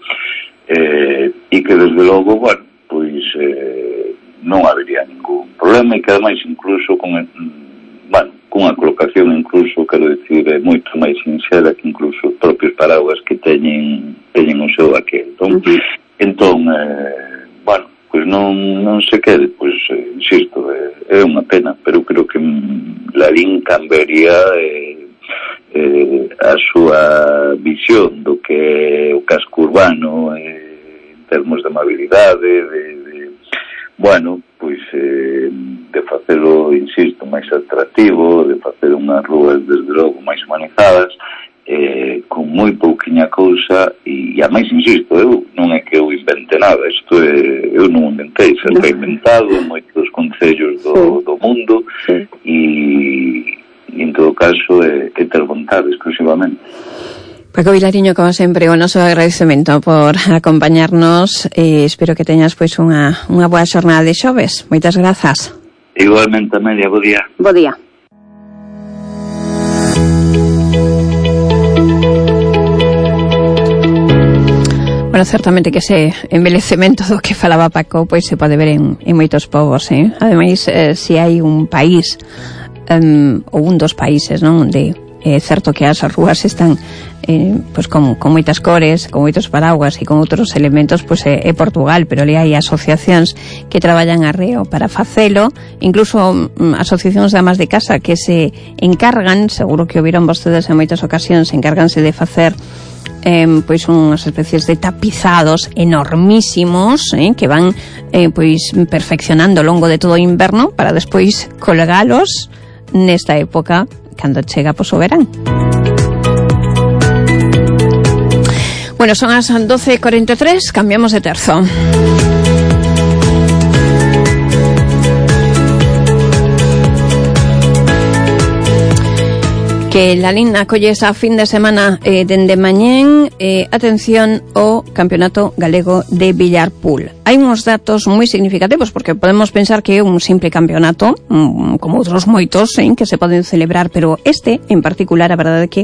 eh, e que desde logo, bueno, pois eh, non habería ningún problema, e que ademais incluso con, bueno, cunha colocación incluso, quero dicir, é moito máis sincera que incluso os propios paraguas que teñen teñen o seu aquel. Entón, uh -huh. entón eh, bueno, pois non, non se quede, pois, eh, insisto, é, é unha pena, pero creo que Lalín cambiaría eh, eh, a súa visión do que é o casco urbano eh, en termos de amabilidade, de, de bueno, pois eh, de facelo, insisto, máis atractivo, de facer unhas rúas desde logo máis humanizadas, eh, con moi pouquiña cousa, e, e a máis, insisto, eu non é que eu invente nada, isto é, eu non inventei, sempre he inventado en moitos concellos do, do mundo, e, e en todo caso é, é ter vontade exclusivamente. Paco Vilariño, como sempre, o noso agradecemento por acompañarnos, e espero que teñas pois unha, unha boa xornada de xoves. Moitas grazas. Igualmente, Amelia, bo día. Bo día. Bueno, certamente que ese envelhecemento do que falaba Paco pois se pode ver en, en moitos povos, eh? Ademais, eh, se hai un país um, ou un dos países, non, onde é certo que as rúas están eh, pues con, con moitas cores, con moitos paraguas e con outros elementos, pois pues, é, é Portugal, pero ali hai asociacións que traballan arreo para facelo, incluso um, asociacións de amas de casa que se encargan, seguro que o viron vostedes en moitas ocasións, encárganse de facer eh, pois unhas especies de tapizados enormísimos, eh, que van eh, pois perfeccionando ao longo de todo o inverno para despois colgalos nesta época cando chega pois o verán. Bueno, son as doce e cuarenta e tres, cambiamos de terzo. Que Lalín acolle esa fin de semana eh, dende mañén, eh, atención ao Campeonato Galego de Villarpool. Hai uns datos moi significativos, porque podemos pensar que é un simple campeonato, mm, como outros moitos, eh, que se poden celebrar, pero este, en particular, a verdade é que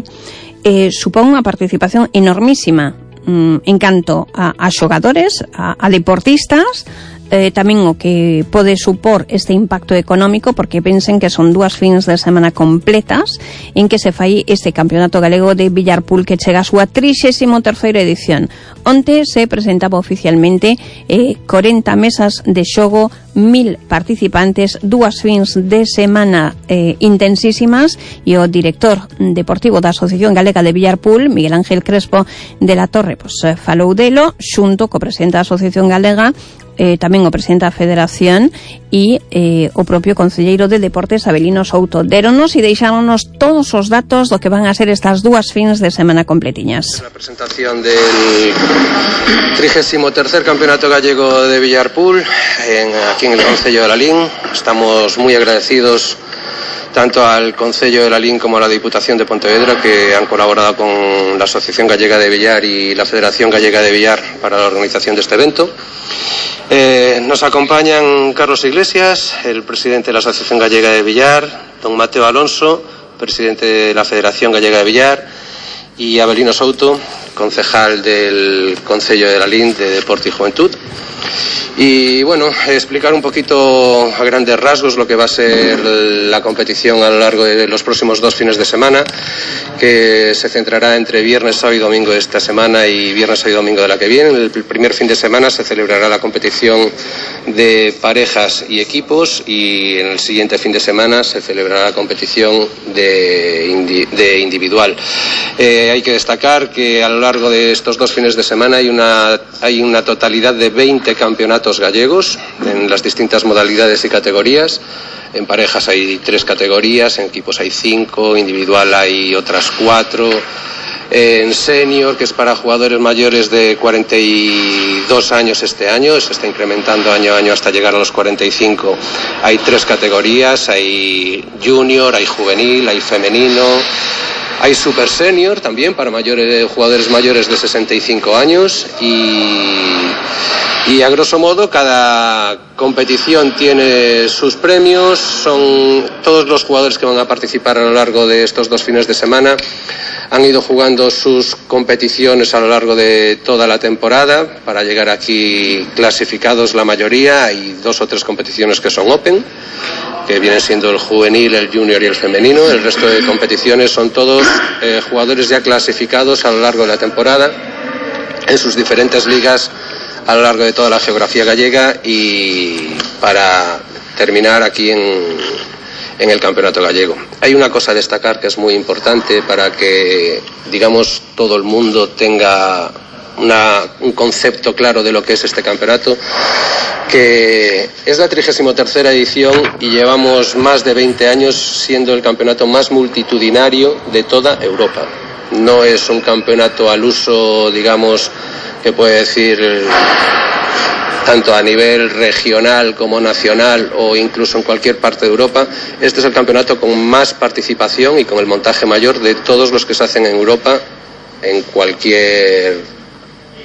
eh, supón unha participación enormísima mm, en canto a, a xogadores, a, a deportistas, Eh, tamén o que pode supor este impacto económico, porque pensen que son dúas fins de semana completas en que se fai este Campeonato Galego de Villarpool, que chega a súa trixésima terceira edición. Onte se presentaba oficialmente eh, corenta mesas de xogo, mil participantes, dúas fins de semana eh, intensísimas, e o director deportivo da Asociación Galega de Villarpool, Miguel Ángel Crespo de la Torre, pues, falou delo xunto co presidente da Asociación Galega, Eh, tamén o presidente da Federación e eh, o propio concelleiro de Deportes, Abelino Souto. Deronos e deixámonos todos os datos do que van a ser estas dúas fins de semana completiñas. La presentación del trigésimo tercer Campeonato Gallego de Villarpool en, aquí en el Concello de Lalín. Estamos muy agradecidos tanto al Concello de Lalín como a la Diputación de Pontevedra, que han colaborado con la Asociación Gallega de Villar y la Federación Gallega de Villar para la organización de este evento. Eh, nos acompañan Carlos Iglesias, el presidente de la Asociación Gallega de Villar, don Mateo Alonso, presidente de la Federación Gallega de Villar, y Abelino Souto, concejal del Concello de Lalín de Deporte y Juventud. Y bueno, explicar un poquito a grandes rasgos lo que va a ser la competición a lo largo de los próximos dos fines de semana, que se centrará entre viernes, sábado y domingo de esta semana y viernes, sábado y domingo de la que viene. El primer fin de semana se celebrará la competición de parejas y equipos, y en el siguiente fin de semana se celebrará la competición de, indi de individual. Eh, hay que destacar que a lo largo de estos dos fines de semana hay una, hay una totalidad de veinte campeonatos gallegos en las distintas modalidades y categorías. En parejas hay tres categorías, en equipos hay cinco, individual hay otras cuatro. En senior, que es para jugadores mayores de cuarenta y dos años este año, se está incrementando año a año hasta llegar a los cuarenta y cinco, hay tres categorías, hay junior, hay juvenil, hay femenino. Hay Super Senior también para mayores, jugadores mayores de sesenta y cinco años, y, y a grosso modo cada competición tiene sus premios. Son todos los jugadores que van a participar a lo largo de estos dos fines de semana han ido jugando sus competiciones a lo largo de toda la temporada para llegar aquí clasificados la mayoría. Hay dos o tres competiciones que son Open, que vienen siendo el juvenil, el junior y el femenino. El resto de competiciones son todos eh, jugadores ya clasificados a lo largo de la temporada en sus diferentes ligas a lo largo de toda la geografía gallega, y para terminar aquí en, en el campeonato gallego. Hay una cosa a destacar que es muy importante para que, digamos, todo el mundo tenga Una, un concepto claro de lo que es este campeonato, que es la trigésima tercera edición y llevamos más de veinte años siendo el campeonato más multitudinario de toda Europa. No es un campeonato al uso, digamos, que puede decir tanto a nivel regional como nacional o incluso en cualquier parte de Europa. Este es el campeonato con más participación y con el montaje mayor de todos los que se hacen en Europa en cualquier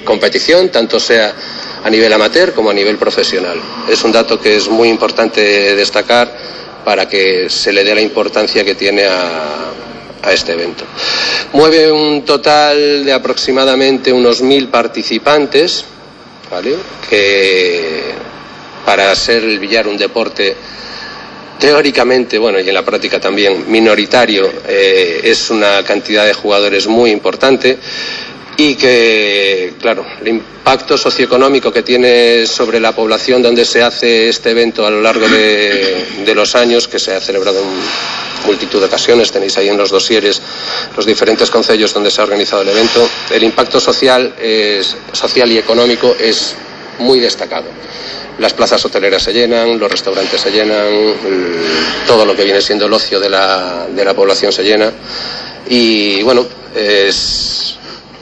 competición, tanto sea a nivel amateur como a nivel profesional. Es un dato que es muy importante destacar para que se le dé la importancia que tiene a, a este evento. Mueve un total de aproximadamente unos mil participantes, ¿vale? Que para ser el billar un deporte teóricamente, bueno, y en la práctica también minoritario, eh, es una cantidad de jugadores muy importante. Y que, claro, el impacto socioeconómico que tiene sobre la población donde se hace este evento a lo largo de, de los años, que se ha celebrado en multitud de ocasiones, tenéis ahí en los dosieres los diferentes concellos donde se ha organizado el evento, el impacto social, es, social y económico es muy destacado. Las plazas hoteleras se llenan, los restaurantes se llenan, todo lo que viene siendo el ocio de la, de la población se llena, y bueno, es...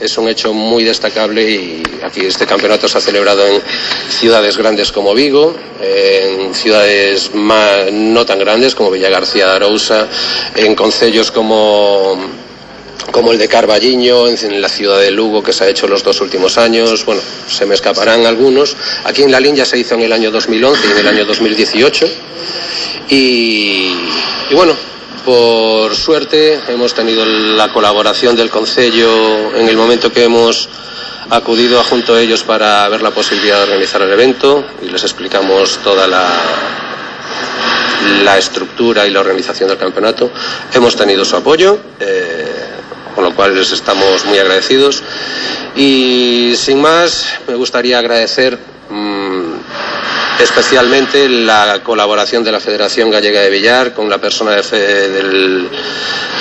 Es un hecho muy destacable, y aquí este campeonato se ha celebrado en ciudades grandes como Vigo, en ciudades más, no tan grandes como Villagarcía de Arousa, en concellos como, como el de Carballiño, en la ciudad de Lugo, que se ha hecho los dos últimos años. Bueno, se me escaparán algunos. Aquí en Lalín ya se hizo en el año dos mil once y en el año dos mil dieciocho. Y, y bueno, por suerte hemos tenido la colaboración del concello en el momento que hemos acudido junto a ellos para ver la posibilidad de organizar el evento, y les explicamos toda la, la estructura y la organización del campeonato. Hemos tenido su apoyo, eh, con lo cual les estamos muy agradecidos, y sin más me gustaría agradecer mmm, especialmente la colaboración de la Federación Gallega de Billar con la persona de fe del,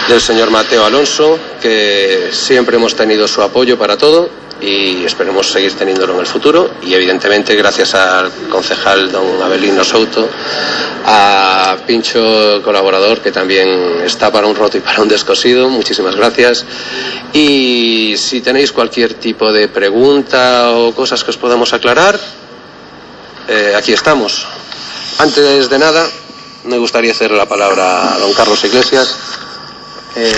del señor Mateo Alonso, que siempre hemos tenido su apoyo para todo y esperemos seguir teniéndolo en el futuro, y evidentemente gracias al concejal don Abelino Souto, a Pincho, colaborador, que también está para un roto y para un descosido. Muchísimas gracias, y si tenéis cualquier tipo de pregunta o cosas que os podamos aclarar, Eh, aquí estamos. Antes de nada, me gustaría hacer la palabra a don Carlos Iglesias, eh,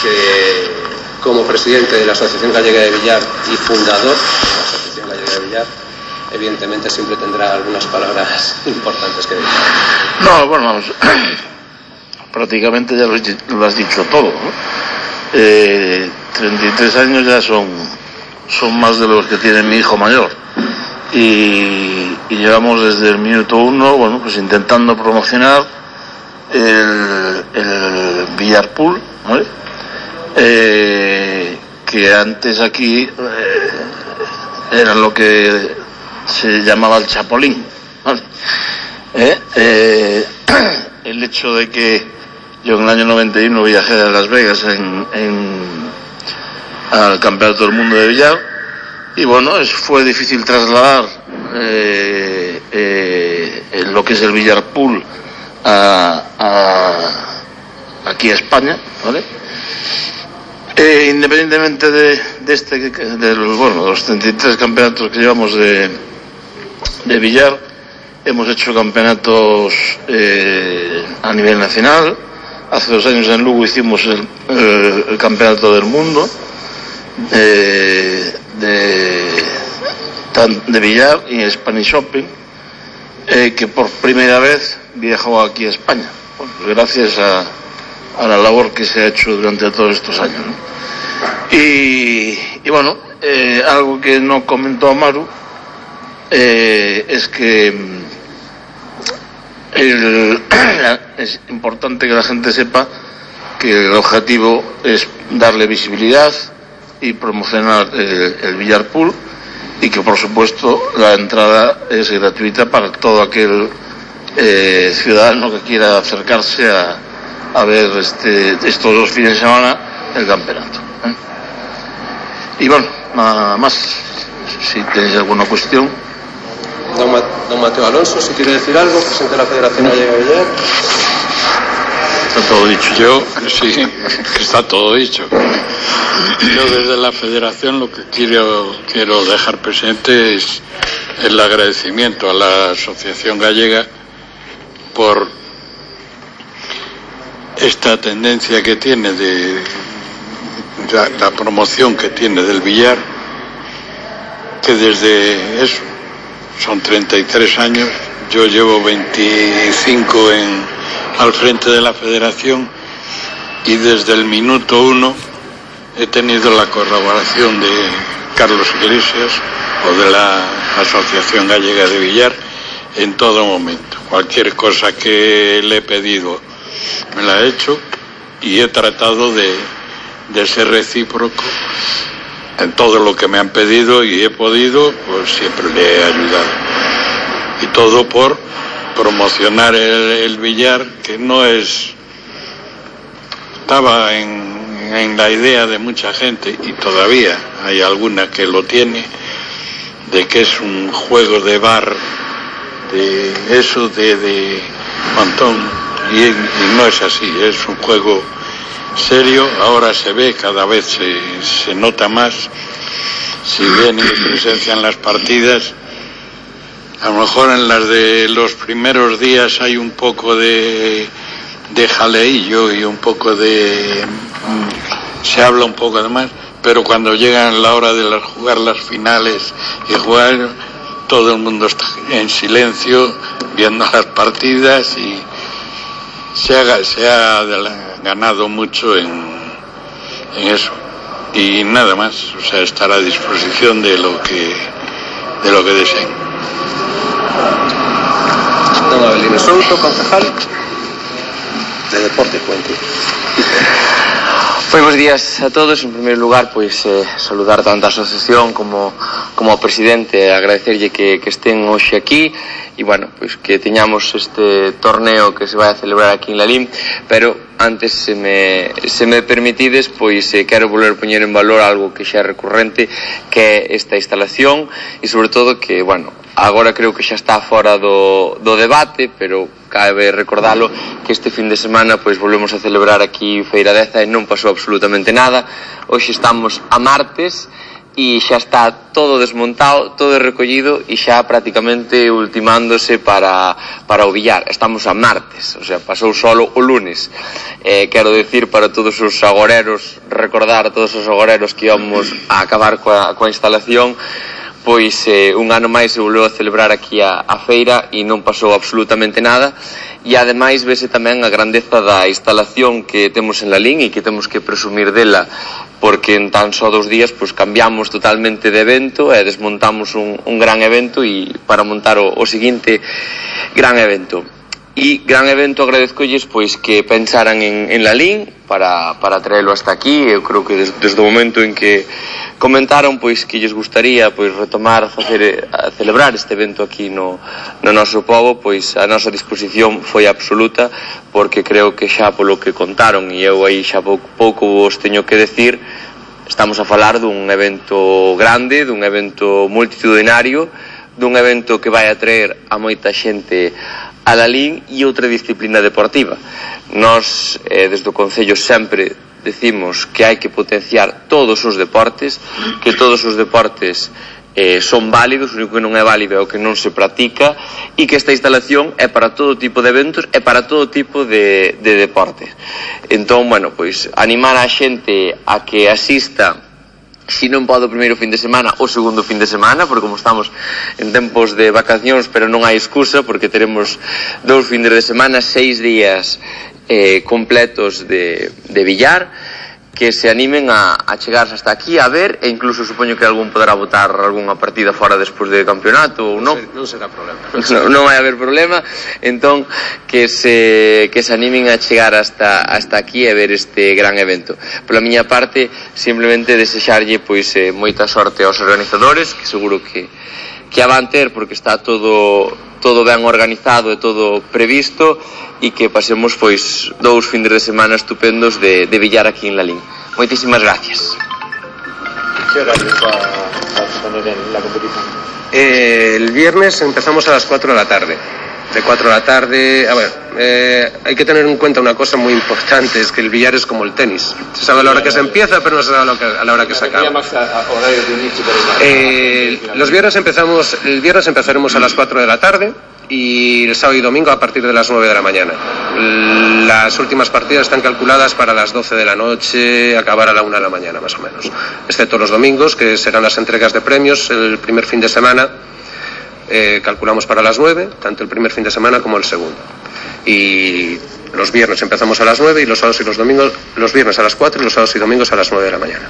que como presidente de la Asociación Gallega de Billar y fundador de la Asociación Gallega de Billar, evidentemente siempre tendrá algunas palabras importantes que decir. No, bueno, vamos, prácticamente ya lo has dicho todo, ¿no? eh, treinta y tres años ya son, son más de los que tiene mi hijo mayor. Y, y llevamos desde el minuto uno, bueno, pues intentando promocionar el, el Villarpool, ¿vale? Eh, que antes aquí eh, era lo que se llamaba el Chapolín, ¿vale? Eh, eh, el hecho de que yo en el año noventa y uno viajé a Las Vegas en, en, al Campeonato del Mundo de Billar, y bueno, es, fue difícil trasladar eh, eh, lo que es el Villarpool a, a, aquí a España, ¿vale? Eh, independientemente de, de este, de los, bueno, de los treinta y tres campeonatos que llevamos de, de billar, hemos hecho campeonatos eh, a nivel nacional. Hace dos años en Lugo hicimos el, el, el campeonato del mundo de, de, de billar y Spanish Open, eh, que por primera vez viajó aquí a España, bueno, pues gracias a, a la labor que se ha hecho durante todos estos años, ¿no? Y, y bueno, eh, algo que no comentó Amaru eh, es que el, es importante que la gente sepa que el objetivo es darle visibilidad y promocionar el, el Villarpool, y que por supuesto la entrada es gratuita para todo aquel eh, ciudadano que quiera acercarse a, a ver este, estos dos fines de semana el campeonato, ¿eh? Y bueno, nada más. Si tenéis alguna cuestión. Don, Ma don Mateo Alonso, si quiere decir algo, presidente de la Federación Gallega de Billar. Está todo dicho. Yo, sí, que está todo dicho. Yo desde la Federación lo que quiero, quiero dejar presente es el agradecimiento a la Asociación Gallega por esta tendencia que tiene de la, la promoción que tiene del billar, que desde eso, son treinta y tres años, yo llevo veinticinco en, al frente de la Federación, y desde el minuto uno he tenido la colaboración de Carlos Iglesias o de la Asociación Gallega de Billar en todo momento. Cualquier cosa que le he pedido me la he hecho, y he tratado de, de ser recíproco en todo lo que me han pedido, y he podido, pues siempre le he ayudado. Y todo por promocionar el, el billar, que no es... Estaba en, en la idea de mucha gente, y todavía hay alguna que lo tiene, de que es un juego de bar, de eso, de, de montón, y, y no es así, es un juego serio. Ahora se ve, cada vez se, se nota más. Si ven mi presencia en las partidas, a lo mejor en las de los primeros días hay un poco de, de jaleillo y un poco de... se habla un poco de más, pero cuando llegan la hora de las, jugar las finales y jugar, todo el mundo está en silencio viendo las partidas, y se ha, se ha ganado mucho en, en eso. Y nada más, o sea, estar a disposición de lo que de lo que deseen. Don Abelino Souto, concejal de Deporte y Juventud. Buenos días a todos. En primer lugar, pois eh, saludar tanto a asociación como como ao presidente, agradecerlle que, que estén hoxe aquí, e bueno, pois que teñamos este torneo que se vai a celebrar aquí en Lalín. Pero antes, se me, se me permitides, pois eh, quero volver a poñer en valor algo que xa é recurrente, que é esta instalación, e sobre todo que, bueno, agora creo que xa está fora do, do debate, pero cabe recordalo que este fin de semana pois volvemos a celebrar aquí Feira Deza e non pasou absolutamente nada. Hoxe estamos a martes e xa está todo desmontado, todo recollido, e xa prácticamente ultimándose para, para o billar. Estamos a martes, o sea, pasou solo o lunes. Eh, quero decir para todos os agoreros, recordar a todos os agoreros que íbamos a acabar coa, coa instalación, pois eh, un ano máis se volveu a celebrar aquí a, a feira e non pasou absolutamente nada, e ademais vese tamén a grandeza da instalación que temos en Lalín e que temos que presumir dela, porque en tan só dos días pois cambiamos totalmente de evento e desmontamos un, un gran evento e para montar o, o seguinte gran evento. E gran evento agradezcolles pois que pensaran en, en Lalín para, para traelo hasta aquí. Eu creo que des, desde o momento en que comentaron pois que lles gustaría pois retomar facer, a celebrar este evento aquí no, no noso pobo, pois a nosa disposición foi absoluta, porque creo que xa polo que contaron, e eu aí xa pouco, pouco vos teño que decir, estamos a falar dun evento grande, dun evento multitudinario, dun evento que vai atraer a moita xente a Lalín e outra disciplina deportiva. Nós, eh, desde o Concello, sempre decimos que hai que potenciar todos os deportes, que todos os deportes eh, son válidos, o único que non é válido é o que non se practica, e que esta instalación é para todo tipo de eventos e para todo tipo de, de deportes. Entón, bueno, pois animar a xente a que asista, si non pode o primeiro fin de semana, o segundo fin de semana, porque como estamos en tempos de vacacións, pero non hai excusa, porque teremos dous findes de semana, seis días eh, completos de, de billar, que se animen a, a chegarse hasta aquí a ver, e incluso supoño que algún poderá votar algunha partida fora despois do campeonato ou non. Non será problema. Non, non vai haber problema, entón que se, que se animen a chegar hasta, hasta aquí e ver este gran evento. Pola miña parte, simplemente desexarlle pois eh, moita sorte aos organizadores, que seguro que, que a van ter, porque está todo, todo ben organizado e todo previsto, e que pasemos pois dous findes de semana estupendos de, de billar aquí en Lalín. Moitísimas gracias. ¿Qué horario va a tener en la competición? Eh, el viernes empezamos a las cuatro de la tarde. De cuatro de la tarde, a ver, eh, hay que tener en cuenta una cosa muy importante, es que el billar es como el tenis. Se sabe a la hora que se empieza, pero no se sabe a, lo que, a la hora que se acaba. Eh, los viernes empezamos, el viernes empezaremos a las cuatro de la tarde y el sábado y domingo a partir de las nueve de la mañana. Las últimas partidas están calculadas para las doce de la noche, acabar a la una de la mañana más o menos, excepto los domingos, que serán las entregas de premios el primer fin de semana. Eh, calculamos para las nueve, tanto el primer fin de semana como el segundo. Y los viernes empezamos a las nueve y los sábados y los domingos, los viernes a las cuatro y los sábados y domingos a las nueve de la mañana.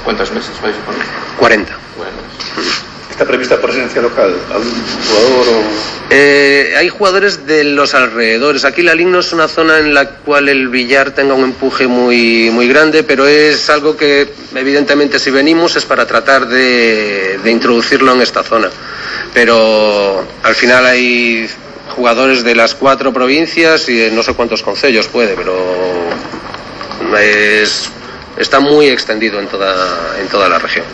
¿Cuántos meses vais a poner? cuarenta. Bueno. ¿Está prevista presencia local? ¿Algún jugador o...? Eh, hay jugadores de los alrededores. Aquí Lalín no es una zona en la cual el billar tenga un empuje muy, muy grande, pero es algo que evidentemente si venimos es para tratar de, de introducirlo en esta zona. Pero al final hay jugadores de las cuatro provincias y no sé cuántos concellos puede, pero es, está muy extendido en toda, en toda la región.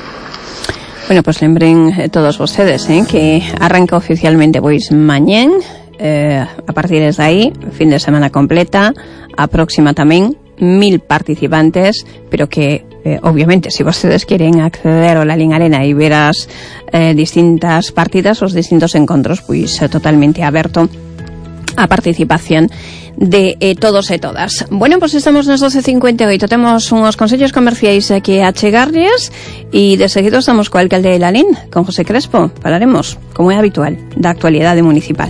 Bueno, pues lembren eh, todos vostedes eh, que arranca oficialmente pois mañén, eh, a partir de aí, fin de semana completa, a próxima tamén, mil participantes, pero que eh, obviamente si vostedes quieren acceder ao Lalín Arena e ver as eh, distintas partidas, os distintos encontros, pois eh, totalmente aberto a participación de eh, todos e todas. Bueno, pois pues estamos nas doce cincuenta e oito, temos uns consellos comerciais aquí a chegarles e de seguido estamos co alcalde de Lalín, con José Crespo. Falaremos, como é habitual, da actualidade municipal.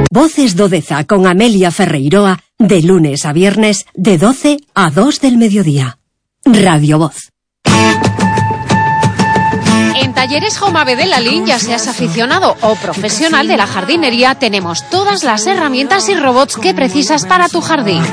Voces do Deza con Amelia Ferreiroa, de lunes a viernes, de doce a dos del mediodía. Radio Voz. En Talleres Jomave de Lalín, ya seas aficionado o profesional de la jardinería, tenemos todas las herramientas y robots que precisas para tu jardín.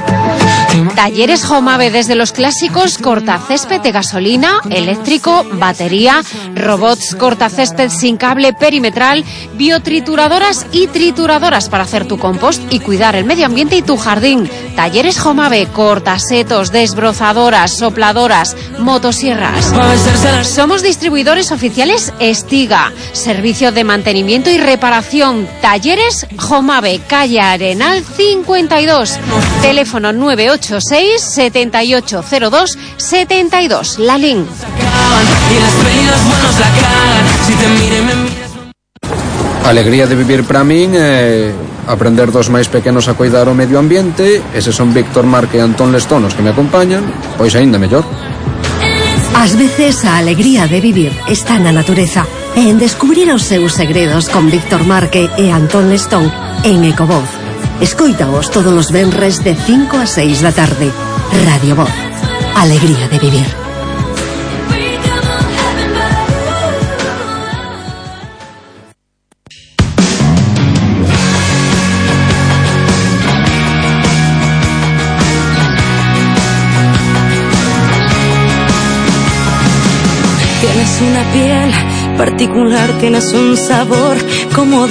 Talleres Jomave, desde los clásicos cortacésped de gasolina, eléctrico, batería, robots cortacésped sin cable perimetral, biotrituradoras y trituradoras para hacer tu compost y cuidar el medio ambiente y tu jardín. Talleres Jomave, cortasetos, desbrozadoras, sopladoras, motosierras. Somos distribuidores oficiales Estiga, servicio de mantenimiento y reparación. Talleres Jomave, calle Arenal cincuenta y dos, teléfono nueve ocho seis, siete ocho cero dos, siete dos, Lalín. Alegría de vivir para min é aprender dos máis pequenos a cuidar o medio ambiente, eses son Víctor Marque e Antón Lestón os que me acompañan, pois aínda mellor. Ás veces a alegría de vivir está na natureza e en descubrir os seus segredos con Víctor Marque e Antón Lestón en Ecovoz. Escoítaos todos os venres de cinco a seis da tarde. Radio Voz. Alegría de vivir. Tienes una piel particular, tienes un sabor como de